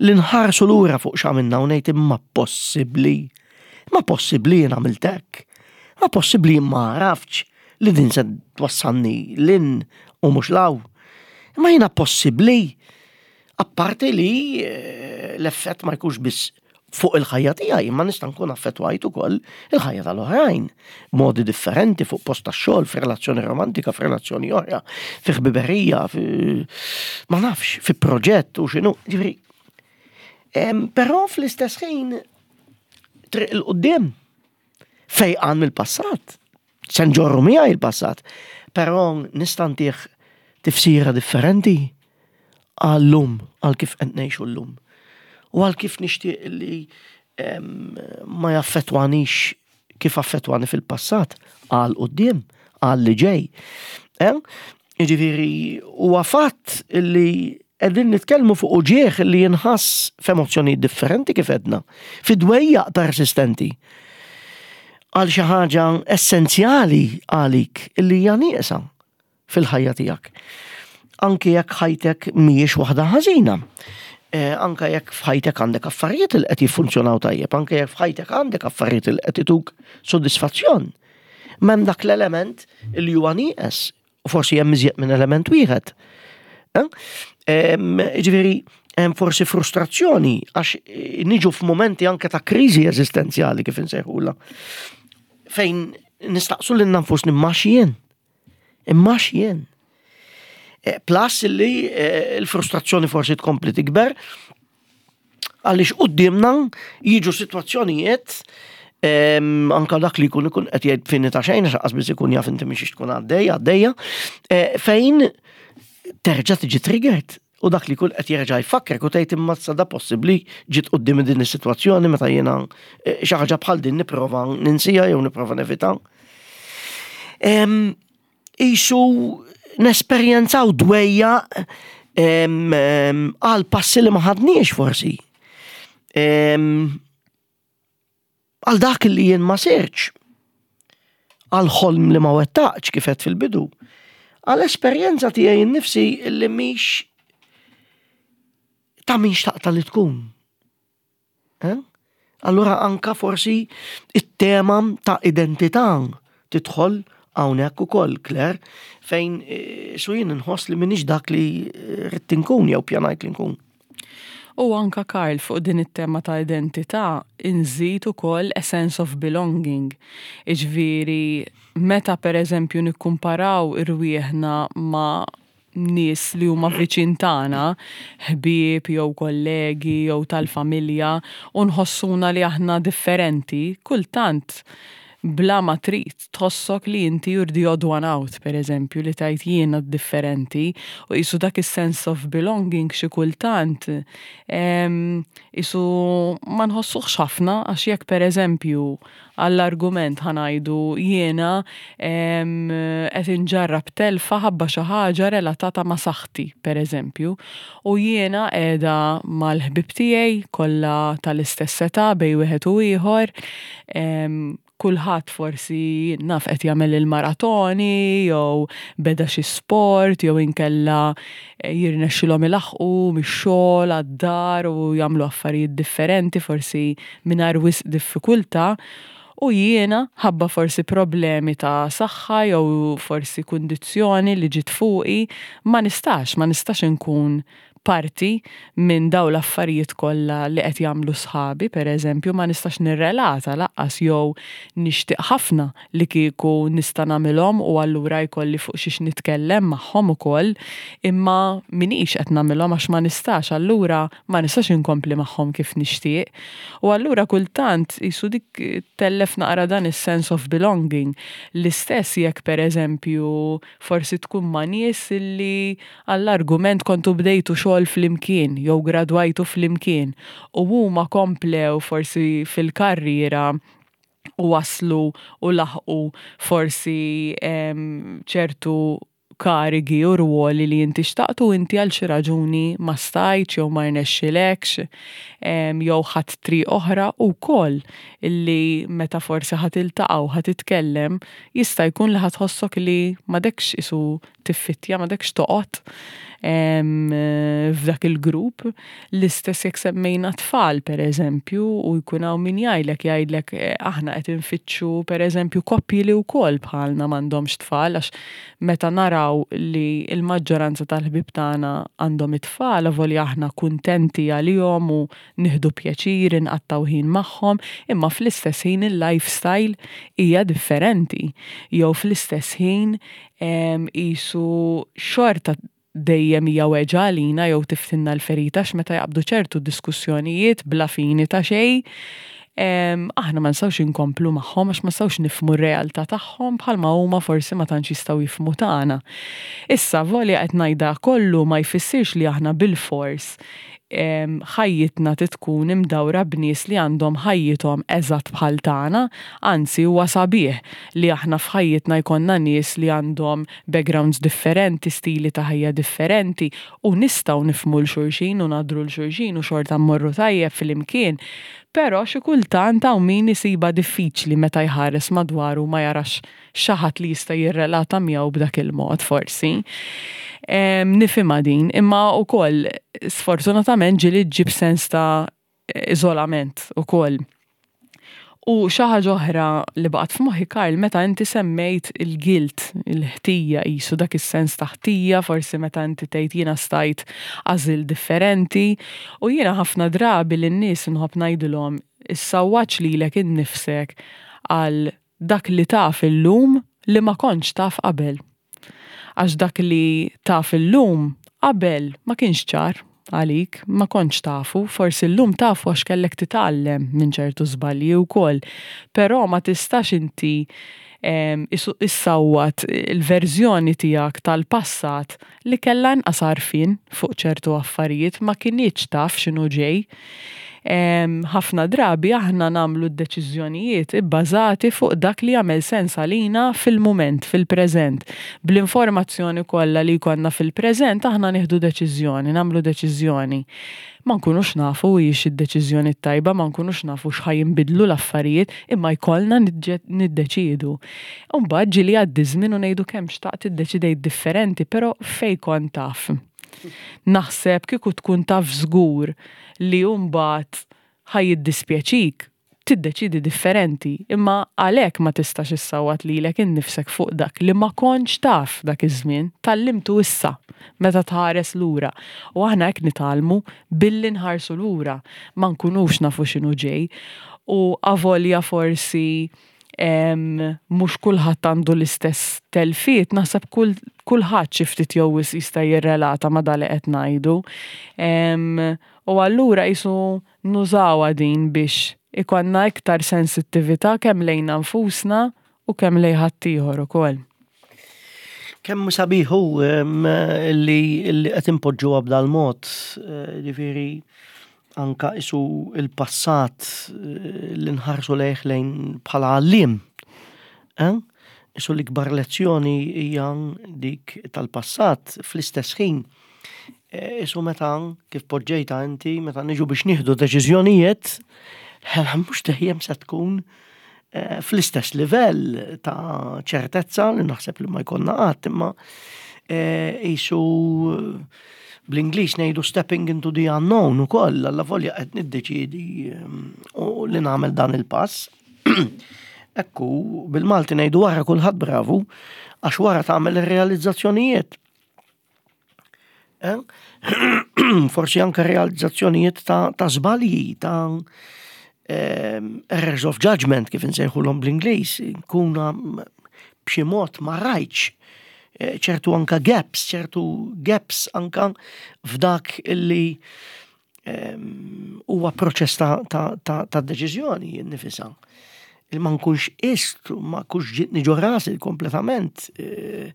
li nħarsu lura fuq x'għamilna u ngħid imma possibbli. Ma possibbli jien għamilt hekk. Ma possibbli jien ma għaraftx li din se twassalni 'l hinn u mhux 'l hawn. Ma jiena possibbli. Apparti li eh, l-effett ma jkunx biss fuq il-ħajja tiegħi, imma nista' nkun affettwajt ukoll il-ħajja tal-oħrajn. Modi differenti fuq post tax-xogħol, f'relazzjoni romantika, f'relazzjoni oħra, fi ħbiberija, fi ma nafx, fi proġett u x'inhu. Ġifieri, em, però fl-istess ħin triq 'il quddiem fejqan mill-passat. Se nġorru miegħi il-passat, però nista' ntih tifsira differenti għal-lum, għal kif qed ngħixu llum. U għal kif nixtieq li em, ma jaffettwanix kif affettwani fil-passat, għal quddiem, għal li ġej. Eh? Jiġifieri, huwa fatt li qegħdin nitkellmu fuq uġieħ li jinħass f'emozzjonijiet differenti kif għedna, fi dwejjaq persistenti għal xi ħaġa essenzjali għalik illi hija nieqsa fil-ħajja tiegħek. Anki jekk ħajtek mhijiex waħda ħażina. Eh, anka jekk f'ħajtek għandek affarijiet li qed jiffunzjonaw tajjeb, anke jekk f'ħajtek għandek affarijiet li qed ituk sodisfazzjon. M'hemm dak l-element li huwa nieqes, u forsi hemm iżjed minn element wieħed. Eh? Em, Ġifieri, hemm forsi frustrazzjoni għax eh, niġu f'momenti anke ta' kriżi eżistenzjali kif insejħulha. Fejn nistaqsu lilna nfusna imma x'jien. Imma x'jien. Eh, Plus li eh, l-frustrazzjoni forsi tkompli tikber għaliex quddiemna jiġu sitwazzjonijiet em, anka dak li jkun ikun qed jgħid fini ta' xejn għax qas biss ikun jaf inti mhix tkun għaddej għaddejja, eh, fejn terġa' tiġi triggered u dak li jkun qed jerġa' jfakkrek u tgħid imma sa da possibbli ġiet quddiem din is-sitwazzjoni meta jiena eh, xi ħaġa bħal din nipprova ninsija jew nipprova nevita. Em, Isu nesperjenzaw dwejjaq em, em, għal passi li ma ħadniex forsi. Em, Għal dak li jien ma sirċ. Għal ħolm li ma wettaqx kif għedt fil-bidu. Għal esperjenza tiegħi nnifsi li mhix ta' min xtaqta li tkun. Eh? Allura anka forsi it-tema ta' identità tidħol hawnhekk ukoll, Claire, fejn eh, su jien nħoss li m'iniex dak li eh, ridt inkun jew pjanajt li nkun. U anka Karl fuq din it-tema ta' identità inżid ukoll a sense of belonging. Iġifieri meta per eżempju nikkumparaw irwieħna ma' nies li huma viċin tagħna, ħbieb jew kollegi jew tal-familja, u nħossuna li aħna differenti, kultant bla ma trid tħossok li inti you're the odd one out, per eżempju, li tgħid jiena differenti, u jisu dak is-sense of belonging xi kultant em, jisu ma nħossuħx ħafna għax jekk per eżempju għall-argument ħa ngħidu jiena em, qed inġarrab telfa ħabba xi ħaġa relatata ma' saħħti, per eżempju, u jiena qiegħda mal-ħbib tiegħi kollha tal-istess età bejn wieħed u ieħor, em, kulħadd forsi naf qed jagħmel il-maratoni jew beda xi sport jew inkella eh, jirnexxilhom ilaħqu mix-xogħol għad-dar u jagħmlu affarijiet differenti forsi mingħajr wisq diffikultà. U jiena ħabba forsi problemi ta' saħħa jew forsi kundizzjoni li ġiet fuqi ma nistax, ma nistax inkun parti minn daw l-affarijiet kollha li qed jagħmlu sħabi, per eżempju, ma nistax nirrelata lanqas jew nixtieq ħafna li kieku nista' nagħmilhom u allura jkolli fuq xiex nitkellem magħhom ukoll, imma minix qed nagħmilhom għax ma nistax, allura ma nistax inkompli magħhom kif nixtieq. U allura kultant jisu dik tellef naqra dan is-sense of belonging. L-istess jekk per eżempju forsi tkun ma' nies illi għall-argument kontu bdejtu xogħol xogħol flimkien jew gradwajtu flimkien u huma komplew forsi fil-karriera u waslu u laħqu forsi ċertu karigi u ruoli li inti xtaqtu, inti għal xi raġuni ma stajtx jew ma rnexxilekx jew ħadt triq oħra wkoll, illi meta forsi ħa tiltaqa' u ħa titkellem, jista' jkun li ħa tħossok li m'għadekx isu tiffittja, m'għadekx toqgħod f'dak il-grupp. L-istess jekk semmejna tfal, per eżempju, u jkun hawn min jgħidlek jgħidlek eh, aħna qed infittxu, per eżempju, koppji li wkoll bħalna m'għandhomx tfal, għax meta naraw li l-maġġoranza tal-ħbib tagħna għandhom it-tfal, avolja aħna kuntenti għalihom u nieħdu pjaċir inqattgħu ħin magħhom, imma fl-istess ħin il-lifestyle hija differenti. Jew fl-istess ħin qisu xorta dejjem hija weġgħa għalina jew tiftħilna l-ferita meta jaqbdu ċertu diskussjonijiet bla fini ta' xejn. Aħna ma nistgħux inkomplu magħhom għax ma nistgħux nifhmu r-realtà tagħhom bħalma huma forsi ma tantx jistgħu jifhmu tagħna. Issa, volja qed ngħidha kollu, ma jfissirx li aħna bil-fors ħajjitna tkun imdawra b'nies li għandhom ħajjithom eżatt bħal tagħna, anzi huwa sabiħ li aħna f'ħajjitna jkollna nies li għandhom backgrounds differenti, stili ta' ħajja differenti u nistgħu nifhmu 'l xulxin u nagħdru 'l xulxin u xorta mmorru tajjeb flimkien. Però xi kultant hawn min isibha diffiċli meta jħares madwaru, ma jarax xi ħadd li jista' jirrelata miegħu b'dak il-mod forsi. Nifhimha din, imma wkoll sfortunatament ġieli ġġib sens ta' iżolament ukoll. U xi ħaġa oħra li baqgħet f'moħħi, Karl, meta inti semmejt il-guilt, il-ħtija qisu, dak is-sens ta' ħtija, forsi meta inti tgħid jiena stajt għażilt differenti, u jiena ħafna drabi lin-nies inħobb ngħidilhom: issawwatx lilek innifsek għal dak li taf illum li ma kontx taf qabel. Għax dak li taf illum, qabel ma kienx ċar għalik, ma kontx tafu, forsi llum tafu għax kellek titgħallem minn ċertu żbalji wkoll. Però ma tistax inti issawwat il-verżjoni tiegħek tal-passat li kellha inqas għarfien fuq ċertu affarijiet, ma kinitx taf x'inhu ġej. Ħafna drabi aħna nagħmlu d-deċiżjonijiet ibbażati fuq dak li jagħmel sens għalina fil-mument, fil-preżent. Bl-informazzjoni kollha li jkollna fil-preżent aħna nieħdu deċiżjoni, nagħmlu deċiżjoni. Ma nkunux nafu hijiex id-deċiżjoni tajba, ma nkunux nafu x'ħa jinbidlu l-affarijiet, imma jkollna niddeċiedu. Mbagħad ġieli jgħaddi żmien u ngħidu kemm xtaqt iddeċidejt differenti, però fejn kont taf? Naħseb kieku tkun taf żgur li mbagħad ħa jiddispjaċik, tiddeċidi differenti, imma għalhekk ma tistax issawwat lilek innifsek fuq dak li ma kontx taf dak iż-żmien, tgħallimtu issa meta tħares lura. U aħna hekk nitgħallmu, billi nħarsu lura, ma nkunux nafu x'inhu ġej. U avolja forsi mhux kulħadd għandu l-istess telfiet, naħseb kulħadd xi ftit jew jista' jirrelata ma' dak li qed ngħidu. U allura qisu nużawha din biex ikollna iktar sensittività kemm lejna nfusna u kemm lejn ħaddieħor ukoll. Kemm sabiħ li qed impoġġuha b'dal mod, eh, ġifieri anka isu il-passat eh, li nħarsu lejh lejn bħala għalliem. Eh? Isu l-ikbar lezzjoni hija dik tal-passat fl-istess ħin. Isu meta, kif poġġejta inti, meta niġu biex nieħdu deċiżjonijiet, mhux dejjem se tkun fl-istess livell ta' ċertezza li naħseb li ma jkollna qatt, imma isu bl-Ingliż ngħidu stepping into the unknown ukoll, allavolja qed niddeċiedi u li nagħmel dan il-pass. Ekku, bil-Malti ngħidu wara kulħadd bravu, għax wara tagħmel ir-realizzazzjonijiet. Eh? Forsi anke realizzazzjonijiet ta', ta żbalji, ta' errors of judgment, kif insejħulhom bl-Ingliż, kuna b'xi mod ma rajtx eh, ċertu anka gaps, ċertu gaps anka f'dak illi huwa proċess ta', ta, ta, ta' deċiżjoni nifisha. Il ma nkunx ist, ma nkunx ġietni ġo rasi kompletament eh,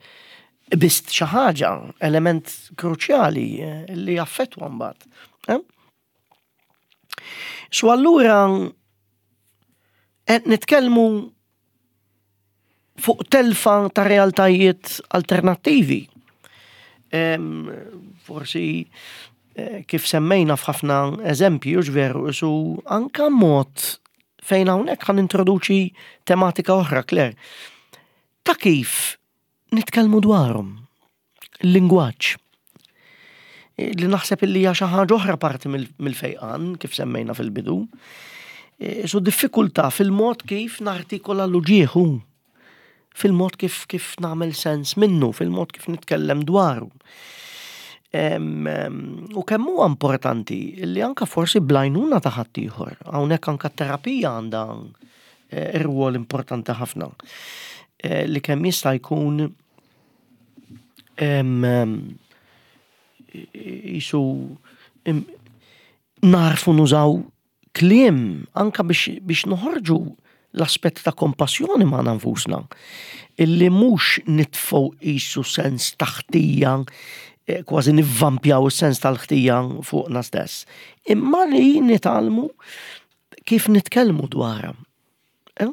Qbiżt xi ħaġa, element kruċjali eh, li jaffettwa mbagħad. Eh? So allura qed nitkellmu fuq telfa ta' realtajiet alternattivi. Forsi eh, kif semmejna f'ħafna eżempji, veru, su anka mod fejn hawnhekk ħa nintroduċi tematika oħra, Claire. Ta' kif nitkellmu dwarhom, il-lingwaġġ. Li naħseb illi hija xi ħaġa oħra parti mill-fejqan, kif semmejna fil-bidu. E, su diffikultà fil-mod kif nartikola l-uġieħu, fil-mod kif kif nagħmel sens minnu, fil-mod kif nitkellem dwaru. U kemm huwa importanti li anka forsi bl-għajnuna ta' ħaddieħor, hawnhekk anka terapija għandha e, rwol importanti ħafna. E, li kemm jista' jkun jisu narfu nużaw kliem anka biex, biex noħorġu l-aspett ta' kompassjoni ma' nfusna. Illi mhux nitfgħu jisu sens ta' ħtija, eh, kważi nivvampjaw is-sens tal-ħtija fuqna stess. Imma li nitgħallmu kif nitkellmu dwarha. Eh?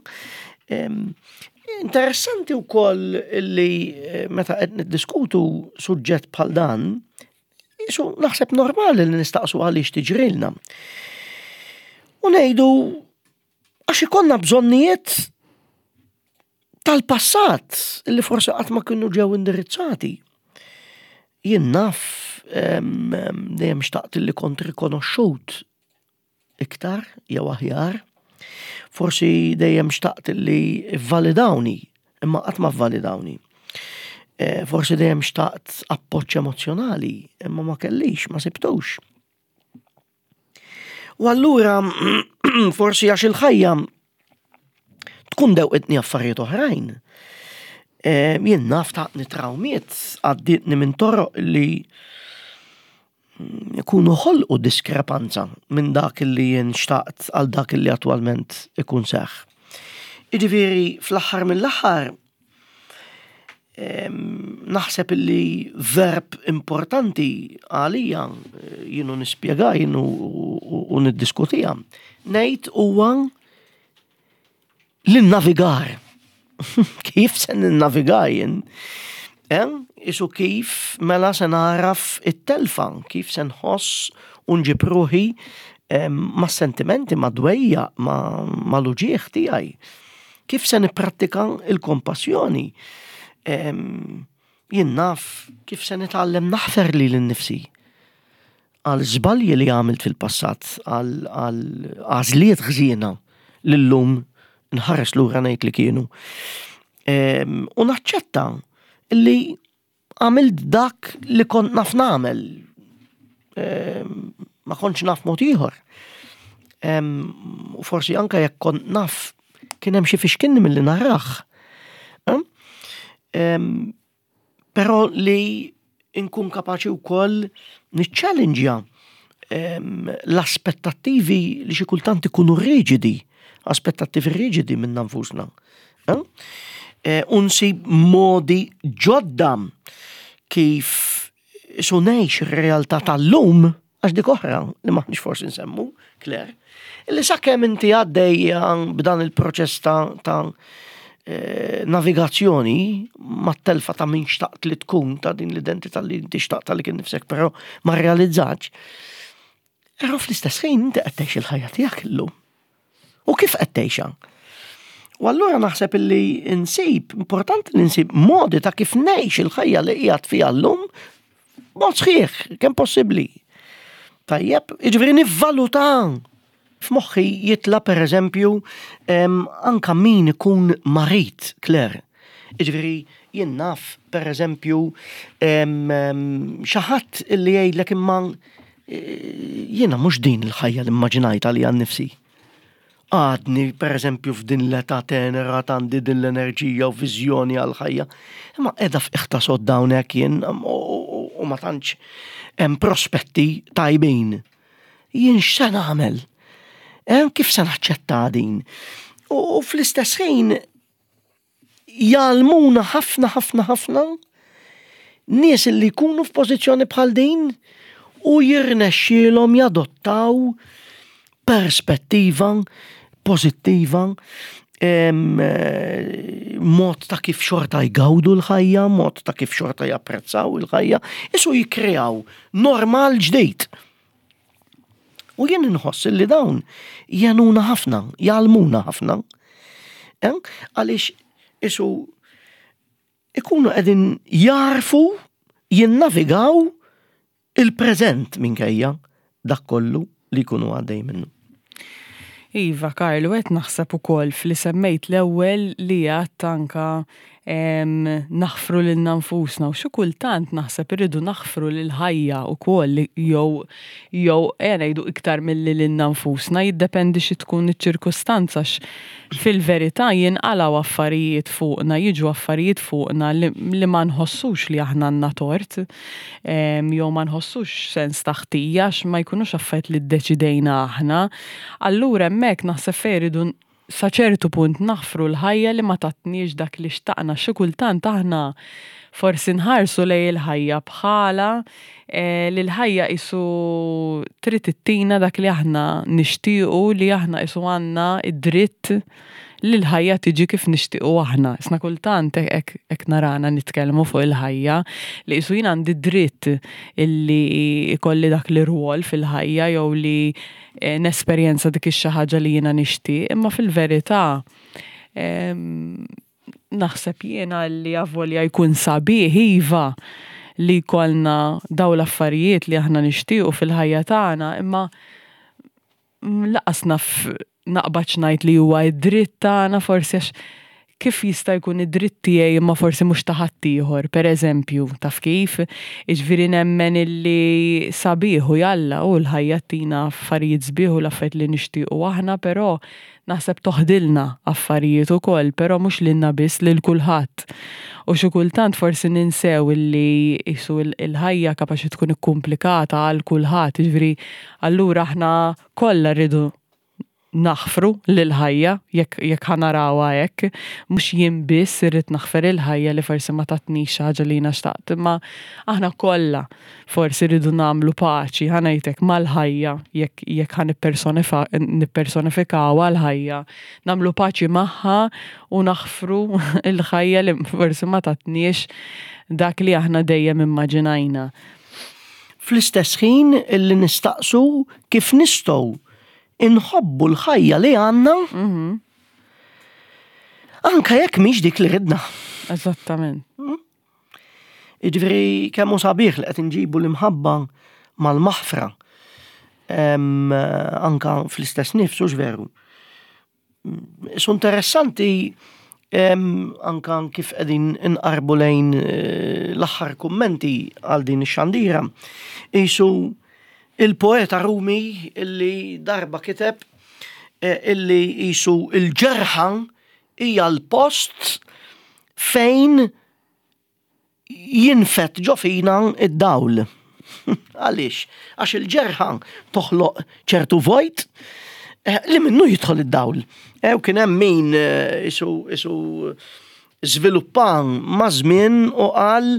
Interessanti wkoll li eh, meta qed niddiskutu suġġett bħal dan, jisu naħseb normali li nistaqsu għaliex tiġrilna. U ngħidu għax ikollna bżonnijiet tal-passat li forsi qatt ma kienu ġew indirizzati. Jien naf dejjem xtaqt li kont rikonoxxut iktar jew aħjar. Forsi dejjem xtaqt li validawni, imma qatt ma validawni. E, forsi dejjem xtaqt appoġġ emozjonali, imma ma kellix, ma sibtux. U allura forsi għax il-ħajja tkun dewqitni affarijiet oħrajn. E, jien naf taqni trawmiet għadditni minn toroq li ikunu ħolqu diskrepanza minn dak li jien xtaqt għal dak li attwalment ikun seħ. Jiġifieri fl-aħħar mill-aħħar naħseb li verb importanti għalija jienu nispjega jienu u niddiskutija. Ngħid huwa l-navigar. Kif se ninnaviga jien? Isu kif mela se naraf it-telfa, kif se nħoss u nġib ruħi ma' sentimenti, ma' dwejja, ma' l-uġieħ tiegħi. Kif se nipprattika il-kompassjoni? Jien naf kif se nitgħallem naħfer lili nnifsi għal żbalji li għamilt fil-passat, għal għażliet ħżiena li llum nħares lura ngħid li kienu. U naċċetta li għamilt dak li kont naf nagħmel. Ma kontx naf mod ieħor. U forsi anka jekk kont naf kien hemm xi fixkinni milli narah. Però li nkun kapaċi wkoll niċċallenġja l-aspettattivi li xi kultant ikunu riġidi, aspettattivi riġidi minn nfusna. U nsib modi ġodda kif su ngħix ir-realtà tal-lum, għax dik oħra li maħniex forsi nsemmu, Claire, li sakemm inti għaddejja b'dan il-proċess ta', ta navigazzjoni mat-telfa ta' min xtaqt li tkun, ta' din l-identità li inti xtaqt li kien nifsek, però ma realizzax. Però fl-istess ħin inti qed tgħix il-ħajja tiegħek illum. U kif qed tgħixha? U allura naħseb illi insib, importanti li nsib modi ta' kif ngħix il-ħajja li qiegħed fiha llum mod sħiħ, kemm possibbli. Tajjeb, jiġifieri nivvaluta. F'moħħi jitla per eżempju anka min ikun marit, Claire. Jiġifieri jien naf per eżempju xi ħadd illi jgħidlek imma jiena mhux din il-ħajja li immaġinajta li għan nifsi. Għadni per eżempju f'din l-età tenera għandi din l-enerġija u viżjoni għal-ħajja. Imma qiegħda f'iħta sodda hawnhekk jien u ma tantx hemm prospetti tajbin. Jien x'se nagħmel? Kif se naċċetta din? U fl-istess ħin jgħallmuna ħafna ħafna ħafna Nies li jkunu f'pożizzjoni bħal din u jirnexxielhom jadottaw perspettiva pożittiva, em, eh, mod ta' kif xorta jgawdu l-ħajja, mod ta' kif xorta japprezzaw il-ħajja, isu jikreaw normal ġdid. U jien inħoss li dawn jgħinuna ħafna, jgħallmuna ħafna. Eh? Għaliex isu ikunu qegħdin jarfu jinnavigaw il-preżent minkejja dak kollu li jkunu għaddej minnu. Iva, Karlu, qed naħseb ukoll fli semmejt l-ewwel li għedt anka em, naħfru lilna nfusna u xi kultant naħseb irridu naħfru lil ħajja ukoll jew jew ejja ngħidu iktar milli lilna nfusna, jiddependi xi tkun iċ-ċirkustanza fil-verità jinqalgħu affarijiet fuqna, jiġu affarijiet fuqna li, li ma nħossux li aħna għandna tort, em, jew ma nħossux sens ta' ħtija għax ma jkunux affarijiet li ddeċidejna aħna. Allura hemmhekk naħseb fejn irridu sa ċertu punt naħfru l-ħajja li ma tatniex dak li xtaqna. Xi kultant aħna forsi nħarsu lejn il-ħajja bħala eh, li l-ħajja isu trid ittina dak li aħna nixtiequ, li aħna isu għandna id-dritt li l-ħajja tiġi kif nixtiequ aħna. Isna kultant hekk hekk narana nitkellmu fuq il-ħajja li isu jien għandi dritt illi ikolli dak li rwol fil-ħajja jew li eh, nesperjenza dik ix-xi ħaġa li jiena nixtieq, imma fil-verità em, naħseb jiena li avolja jkun sabiħ iva li jkollna daw l-affarijiet li aħna nixtiequ fil-ħajja tagħna, imma lanqas naf naqbad ngħid li huwa id-dritt tagħna forsi, għax kif jista' jkun id-dritt tiegħi imma forsi mhux ta' ħaddieħor, pereżempju, taf kif? Jiġifieri nemmen illi sabiħ u jalla u l-ħajja tina affarijiet sbieħ u l-affarijiet li nixtiequ aħna, però naħseb toħdilna affarijiet ukoll, però mhux lilna biss, lil kulħadd. U xi kultant forsi ninsew illi isu il-ħajja kapaċi tkun ikkumplikata għal kulħadd, jiġifieri allura aħna kollha rridu naħfru lil-ħajja jekk jekk ħa narawha hekk, mhux jien biss irrid naħfer il-ħajja li forsi ma tatnix xi ħaġa li jiena xtaqt, imma aħna kollha forsi rridu nagħmlu paċi, ħa ngħidlek, mal-ħajja jekk jekk ħa nippersonifikawha l-ħajja, nagħmlu paċi magħha u naħfru l-ħajja li forsi ma tatniex dak li aħna dejjem immaġinajna. Fl-istess ħin illi nistaqsu kif nistgħu inħobbu l-ħajja li għandna anka jekk mhix dik li ridna. Eżattament. Jiġifieri kemm hu sabiħ li qed inġibu l-imħabba mal-maħfra. Em, anka fl-istess nifs, hux veru? Su interessanti em, anka kif qegħdin inqarbu lejn eh, l-aħħar kummenti għal din ix-xandira. Isu il-poeta Rumi illi darba kiteb eh, illi isu il-ġerħa hija l-post fejn jinfet ġo fina id-dawl. Għaliex? Għax il-ġerħa toħloq ċertu vojt eh, li minnu jidħol id-dawl. Eh, U kien hemm min eh, isu isu żviluppan ma' żmien u qal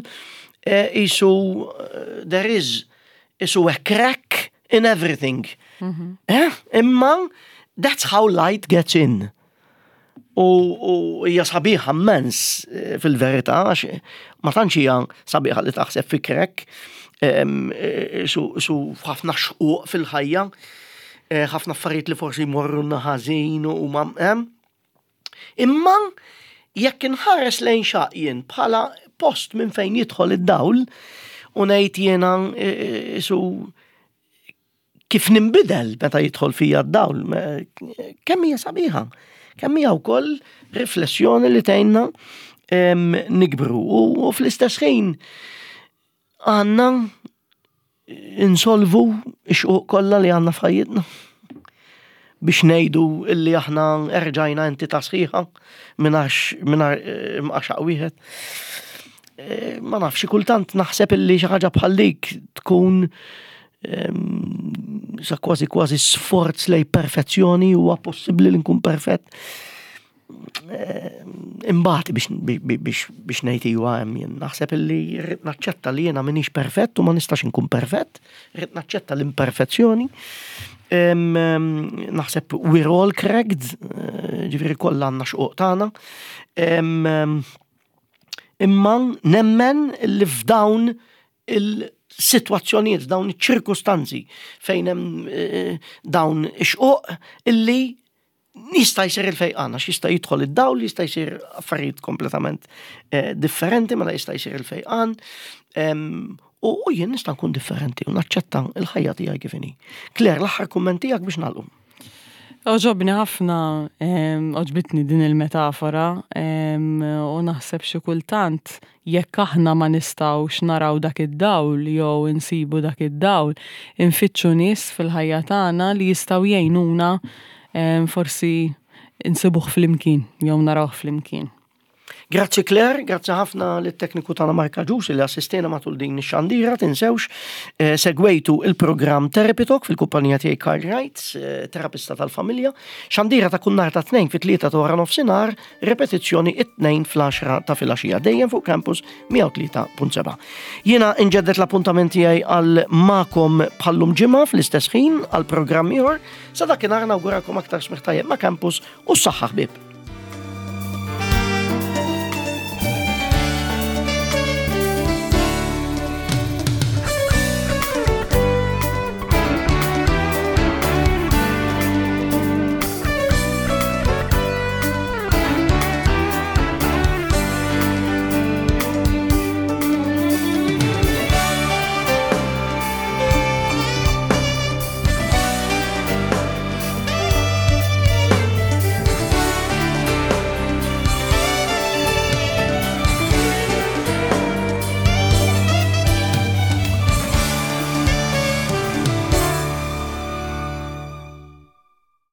eh, isu eh, there is isu a crack in everything. Eh? Imma that's how light gets in. U u hija sabiħa immens eh, fil-verità, għax ma tantx hija sabiħa li taħseb fi crack, em, eh, su su ħafna xquq fil-ħajja, eh, ħafna affarijiet li forsi jmorru ħażin u ma em. Imma jekk inħares lejn xaqjien bħala post minn fejn jidħol id-dawl u ngħid jiena eh, su kif nimbidel meta jidħol fija d-dawl, me- kemm hija sabiħa, kemm hija wkoll riflessjoni li tgħinna em, nikbru u, u fl-istess ħin għandna insolvu x-xquq kollha li għandna f'ħajjitna biex ngħidu illi aħna erġajna entità sħiħa mingħajr mingħajr mqaxaq wieħed. Eh, Ma nafx, kultant naħseb illi xi ħaġa bħal dik tkun em, sa kważi kważi sforz lejn perfezzjoni, huwa possibbli li nkun perfett. eh, imbati biex biex biex ngħid iwa hemm jien. Naħseb illi rrid naċċetta li jiena m'iniex perfett u ma nistax inkun perfett, rrid naċċetta l-imperfezzjoni. Em, em, Naħseb we're all cracked, eh, ġifieri kollha għandna xquq tagħna. Em, em, Imma nemmen li f'dawn il-sitwazzjonijiet, f'dawn iċ-ċirkustanzi fejn hemm eh, dawn ix-xquq illi jista' jsir il-fejqan, għax jista' jidħol id-dawl, jista' jsir affarijiet kompletament eh, differenti, mela jista' jsir il-fejqan. Em, U u jien nista' nkun differenti u naċċetta il-ħajja tiegħi kif inhi. Claire, l-aħħar kumment tiegħek biex nagħlqu. Għoġobni ħafna, em, għoġbitni din il-metafora, em, u naħseb xi kultant jekk aħna ma nistgħux naraw dak id-dawl jew insibu dak id-dawl, infittxu nies fil-ħajja tagħna li jistgħu jgħinuna em, forsi insibuh flimkien jew narawh flimkien. Grazzi Claire, grazzi ħafna lit-tekniku tagħna Marka Ġus li assistena matul din ix-xandira, tinsewx eh, segwejtu il-programm Therapy Talk fil-kumpanija tiegħi Carl Wright, eh, terapista tal-familja. Xandira ta' kull nhar ta' tnejn fit-tlieta ta' wara nofsinhar, repetizzjoni it-tnejn fl-għaxra ta' filgħaxija dejjem fuq Campus mija u tlieta punt seba'. Jiena inġeddet l-appuntament tiegħi għal magħkom bħal-lum ġimgħa fl-istess ħin għal programm ieħor. Sa dakinhar nawgurakom aktar smigħ tajjeb ma' Campus u s-saħħa, ħbieb.